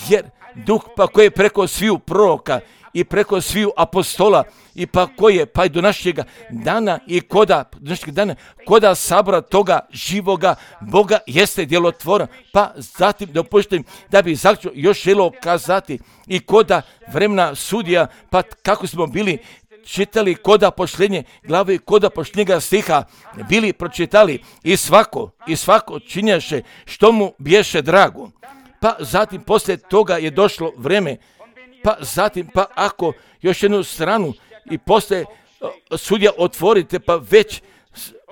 jer duh pa koji je preko sviju proroka i preko sviju apostola i pa koji je pa i do našega dana i koda, do našega dana, koda sabora toga živoga Boga jeste djelotvoran, pa zatim dopuštam da bi zaključno još želio kazati i koda vremena sudija, pa kako smo bili čitali koda pošljenje glave i koda pošljenjega stiha, bili pročitali i svako, i svako činjaše što mu biješe drago. Pa zatim poslije toga je došlo vreme, pa zatim, pa ako još jednu stranu i poslije sudja otvorite, pa već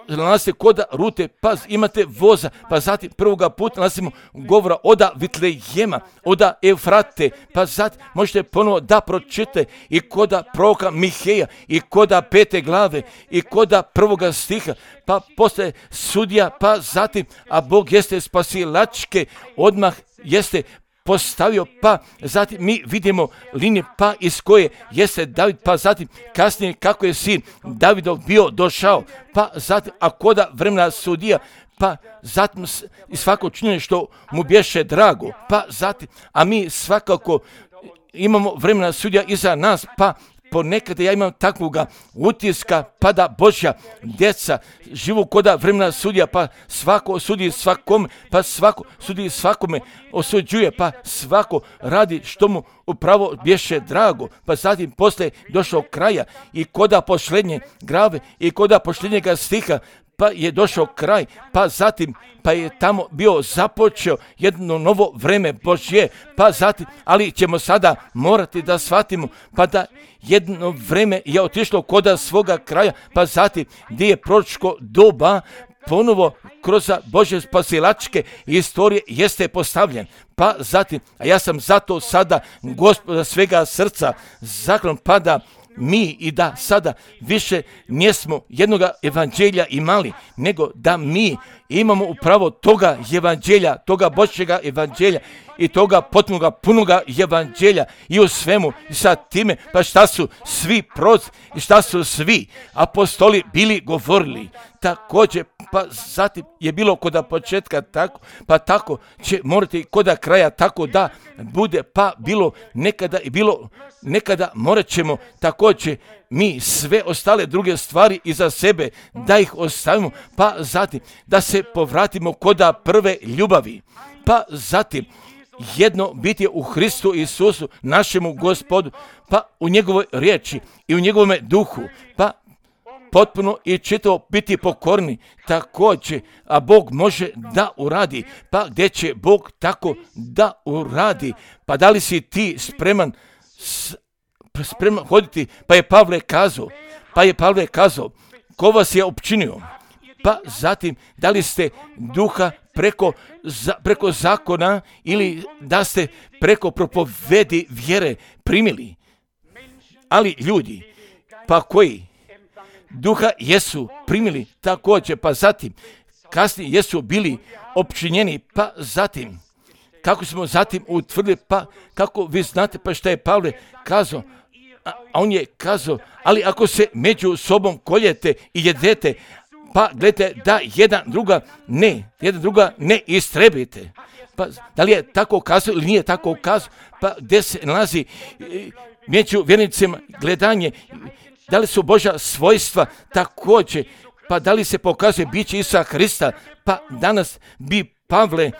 nalazite koda rute, pa imate voza, pa zatim prvoga puta nalazimo govora oda Vitlejema, oda Eufrate, pa zatim možete ponovo da pročite i koda proroka Miheja, i koda pete glave, i koda prvoga stiha, pa poslije sudja, pa zatim, a Bog jeste spasilačke, odmah jeste postavio, pa zatim mi vidimo linije pa iz koje jeste David, pa zatim kasnije kako je sin Davidov bio došao, pa zatim a koda vremena sudija, pa zatim i svako činjenje što mu bješe drago, pa zatim, a mi svakako imamo vremena sudija iza nas, pa ponekad ja imam takvoga utiska, pa da Božja djeca živu koda vremena sudija, pa svako sudi svakome, pa svako sudi svakome, osuđuje, pa svako radi što mu upravo bješe drago, pa zatim poslije došao kraja i koda posljednje grave i koda posljednjega stiha, pa je došao kraj, pa zatim, pa je tamo bio započeo jedno novo vreme Božje, pa zatim, ali ćemo sada morati da shvatimo, pa da jedno vreme je otišlo koda svoga kraja, pa zatim gdje je proročko doba ponovo kroz Božje spasilačke istorije jeste postavljen. Pa zatim, a ja sam zato sada Gospoda svega srca zaklan, pa da mi i da sada više nismo jednoga evanđelja imali, nego da mi imamo upravo toga evanđelja, toga Božjega evanđelja i toga potpunoga punoga evanđelja i u svemu i sa time, pa šta su svi proroci i šta su svi apostoli bili govorili. Također, pa zatim je bilo koda početka tako, pa tako će morati koda kraja tako da bude, pa bilo nekada i bilo nekada morat ćemo također mi sve ostale druge stvari iza sebe da ih ostavimo, pa zatim da se povratimo koda prve ljubavi, pa zatim jedno biti u Hristu Isusu, našemu Gospodu, pa u njegovoj riječi i u njegovome duhu, pa potpuno i čitavo biti pokorni također, a Bog može da uradi, pa gdje će Bog tako da uradi, pa da li si ti spreman spreman hoditi, pa je Pavle kazao, pa je Pavle kazao, ko vas je opčinio, pa zatim da li ste duha preko, za, preko zakona ili da ste preko propovedi vjere primili, ali ljudi, pa koji duha jesu primili također, pa zatim kasnije jesu bili opčinjeni, pa zatim kako smo zatim utvrdili, pa kako vi znate, pa šta je Pavle kazao, a on je kazao, ali ako se među sobom koljete i jedete, pa gledajte da jedan druga ne, jedan druga ne istrebite. Pa da li je tako kazao ili nije tako kazao, pa gdje se nalazi među vjernicima gledanje, da li su Božja svojstva također, pa da li se pokazuje biće Isusa Hrista, pa danas bi Pavle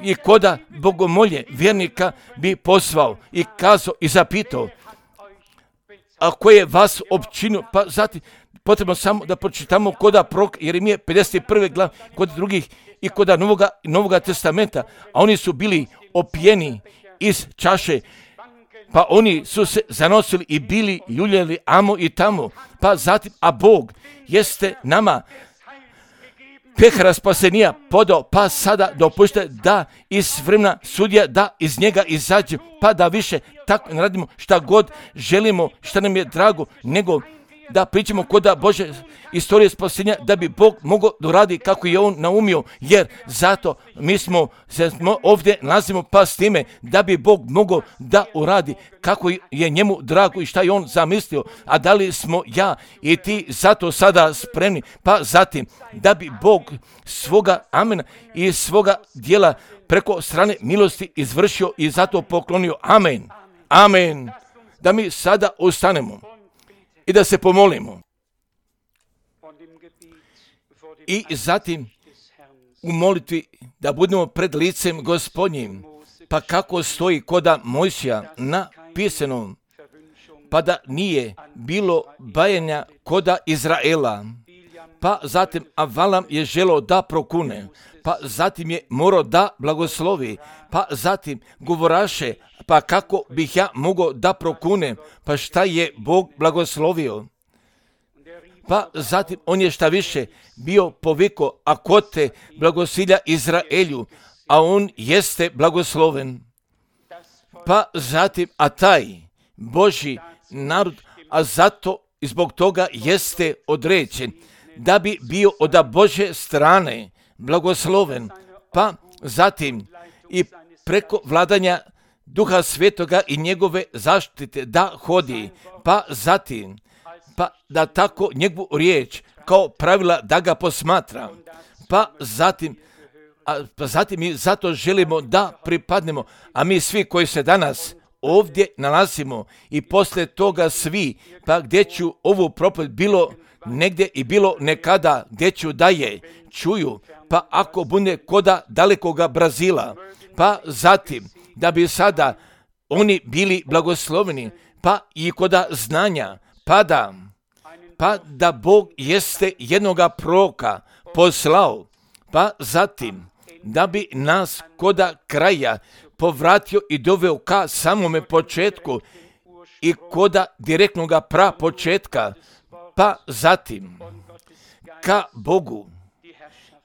i koda bogomolje vjernika bi pozvao i kazao i zapitao, a ko je vas opčinio, pa zatim potrebno samo da pročitamo koda prorok Jeremije pedeset prve glav, kod drugih i koda Novoga, Novoga testamenta, a oni su bili opijeni iz čaše, pa oni su se zanosili i bili ljuljali amo i tamo, pa zatim, a Bog jeste nama pehara spasenija podao, pa sada dopušte da iz vremena sudija, da iz njega izađe, pa da više tako ne radimo šta god želimo, šta nam je drago, nego da pričamo koda Bože istorije spasenja, da bi Bog mogao doradi kako je on naumio, jer zato mi smo se ovdje nalazimo pa s time da bi Bog mogao da uradi kako je njemu drago i šta je on zamislio, a da li smo ja i ti zato sada spremni, pa zatim da bi Bog svoga amena i svoga dijela preko strane milosti izvršio i zato poklonio. Amen. Amen. Da mi sada ustanemo i da se pomolimo. I zatim u molitvi da budemo pred licem Gospodnjim, pa kako stoji koda Mojsija napisano, pa da nije bilo bajanja koda Izraela, pa zatim Avalam je želeo da prokune, pa zatim je morao da blagoslovi, pa zatim govoraše, pa kako bih ja mogao da prokunem, pa šta je Bog blagoslovio. Pa zatim on je šta više bio poviko, a ko te blagosilja Izraelju, a on jeste blagosloven. Pa zatim, a taj Božji narod, a zato i zbog toga jeste određen, da bi bio od Božje strane blagosloven. Pa zatim i preko vladanja Duha Svetoga i njegove zaštite da hodi, pa zatim, pa da tako njegovu riječ kao pravila da ga posmatra, pa zatim, a, pa zatim mi zato želimo da pripadnemo, a mi svi koji se danas ovdje nalazimo i poslije toga svi, pa gdje ću ovu propovijed bilo negdje i bilo nekada, gdje ću da je čuju, pa ako bude koda dalekoga Brazila, pa zatim da bi sada oni bili blagosloveni, pa i koda znanja, pa da, pa da Bog jeste jednoga proroka poslao, pa zatim da bi nas koda kraja povratio i doveo ka samome početku i koda direktnoga pra početka, pa zatim ka Bogu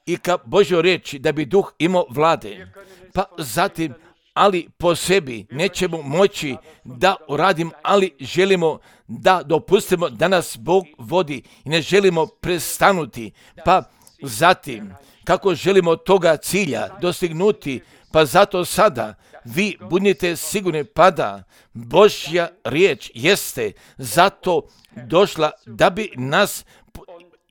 i ka Božjoj riječi da bi duh imao vlade, pa zatim ali po sebi nećemo moći da uradim, ali želimo da dopustimo da nas Bog vodi i ne želimo prestanuti, pa zatim kako želimo toga cilja dostignuti, pa zato sada vi budite sigurni pa da Božja riječ jeste zato došla da bi nas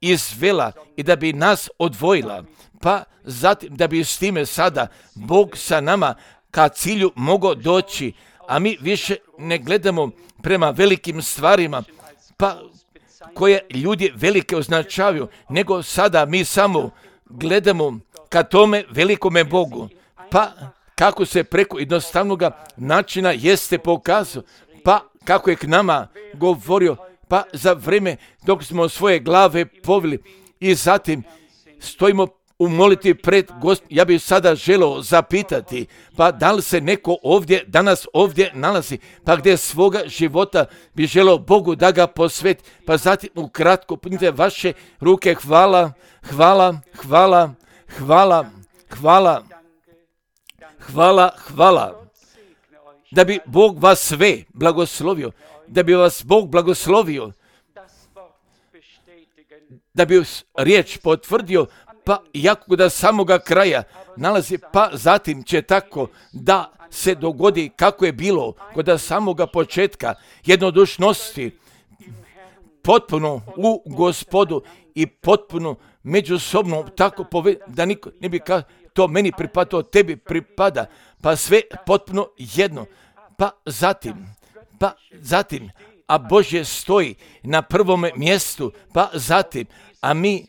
izvela i da bi nas odvojila, pa zatim da bi s time sada Bog sa nama ka cilju mogao doći, a mi više ne gledamo prema velikim stvarima, pa koje ljudi velike označavaju, nego sada mi samo gledamo ka tome velikome Bogu, pa kako se preko jednostavnog načina jeste pokazao, pa kako je k nama govorio, pa za vrijeme dok smo svoje glave povili i zatim stojimo u molitvi pred Gospodom. Ja bih sada želeo zapitati, pa da li se neko ovdje, danas ovdje nalazi, pa gdje svoga života bi želeo Bogu da ga posveti, pa zatim ukratko punite vaše ruke, hvala, hvala, hvala, hvala, hvala, hvala, hvala, da bi Bog vas sve blagoslovio, da bi vas Bog blagoslovio, da bi riječ potvrdio, pa jako da samoga kraja nalazi, pa zatim će tako da se dogodi kako je bilo kod samoga početka jednodušnosti, potpuno u Gospodu i potpuno međusobno tako poved, da niko ne bi ka to meni pripada, to tebi pripada, pa sve potpuno jedno, pa zatim, pa zatim, a Božje stoji na prvome mjestu, pa zatim, a mi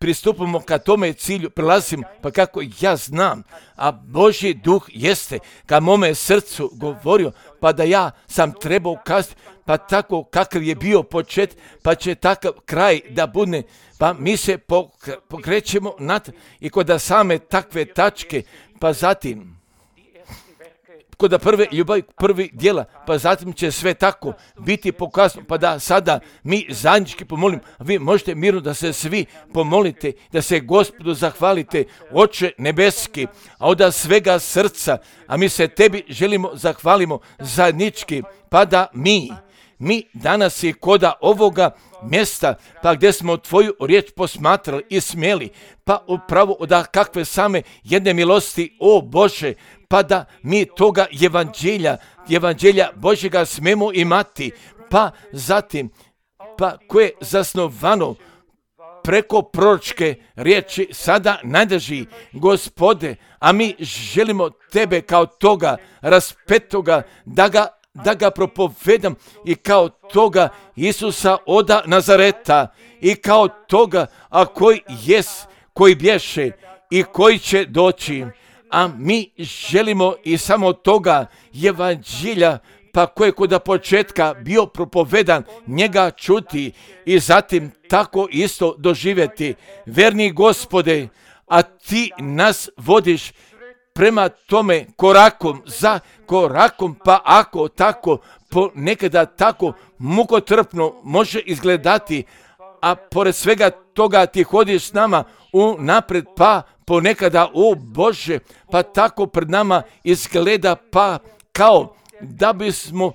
pristupamo ka tome cilju, prelazimo, pa kako ja znam, a Božji duh jeste ka mome srcu govorio, pa da ja sam trebao kazati, pa tako kakav je bio počet, pa će takav kraj da bude, pa mi se pokrećemo nad i kod same takve tačke, pa zatim kod prve ljubavi, prvi dijela, pa zatim će sve tako biti pokazano, pa da sada mi zajednički pomolim, vi možete mirno da se svi pomolite, da se Gospodu zahvalite, Oče nebeski, a od svega srca, a mi se tebi želimo zahvalimo zajednički, pa da mi, mi danas i koda ovoga mjesta, pa gdje smo tvoju riječ posmatrali i smjeli, pa upravo da kakve same jedne milosti, o Bože, pa da mi toga evanđelja, evanđelja Božjega smemo imati, pa zatim, pa koje je zasnovano preko proročke riječi sada nadrži Gospode, a mi želimo tebe kao toga raspetoga da ga da ga propovedam i kao toga Isusa oda Nazareta i kao toga, a koji jes, koji bješe i koji će doći, a mi želimo i samo toga evanđelja, pa koje kod početka bio propovedan, njega čuti i zatim tako isto doživjeti. Verni Gospode, a ti nas vodiš prema tome korakom za korakom, pa ako tako ponekada tako mukotrpno može izgledati, a pored svega toga ti hodiš s nama u napred, pa ponekada, o Bože, pa tako pred nama izgleda pa kao da bismo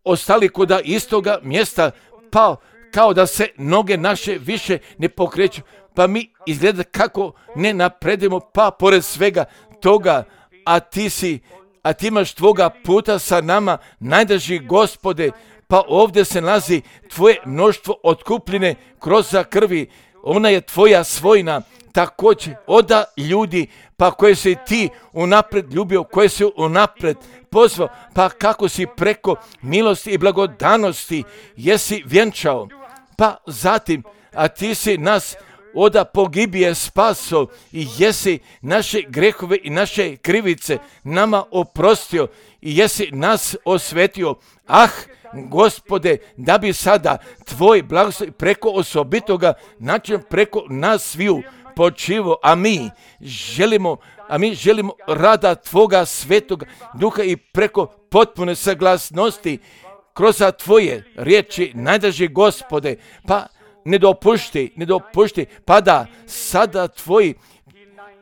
ostali kod istoga mjesta, pa kao da se noge naše više ne pokreću, pa mi izgleda kako ne napredimo, pa pored svega toga, a ti si, a ti imaš tvoga puta sa nama, najdrži Gospode, pa ovdje se nalazi tvoje mnoštvo otkupljene kroz krvi, ona je tvoja svojina, također oda ljudi, pa koje si ti unapred ljubio, koje si unapred pozvao, pa kako si preko milosti i blagodanosti jesi vjenčao, pa zatim, a ti si nas oda pogibije spaso i jesi naše grehove i naše krivice nama oprostio i jesi nas osvetio. Ah, Gospode, da bi sada tvoj blagoslov preko osobitoga način preko nas sviju počivo, a mi želimo, a mi želimo rada tvoga svetoga duha i preko potpune saglasnosti kroz tvoje riječi, najdrži Gospode, pa ne dopušti, ne dopušti, pa da sada tvoji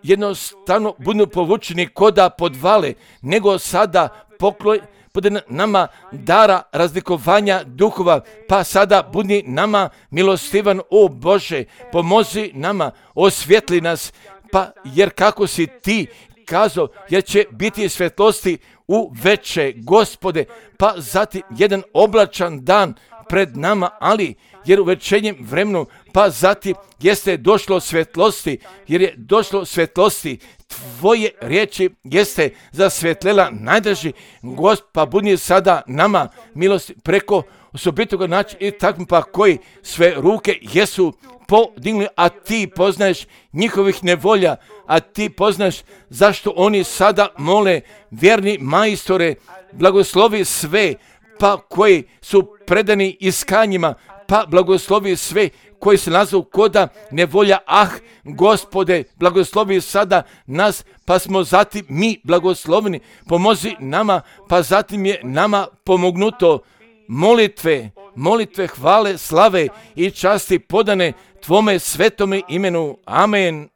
jednostavno budu povučeni koda podvale, nego sada pokloj bude nama dara razlikovanja duhova, pa sada budi nama milostivan, o Bože, pomozi nama, osvjetli nas, pa jer kako si ti kazao, jer će biti svjetlosti u veče, Gospode, pa zatim jedan oblačan dan pred nama, ali jer u večernjem vremenu, pa zatim jeste došlo svjetlosti, jer je došlo svjetlosti, tvoje riječi jeste zasvjetlela najdrži Gospod, pa budi sada nama milosti preko osobitoga načina i tako pa koji sve ruke jesu podigli, a ti poznaješ njihovih nevolja, a ti poznaš zašto oni sada mole, vjerni majstore, blagoslovi sve, pa koji su predani iskanjima, pa blagoslovi sve koji se nazovu koda nevolja. Ah, Gospode, blagoslovi sada nas, pa smo zatim mi blagosloveni, pomozi nama, pa zatim je nama pomognuto molitve, molitve, hvale, slave i časti podane tvome svetome imenu. Amen.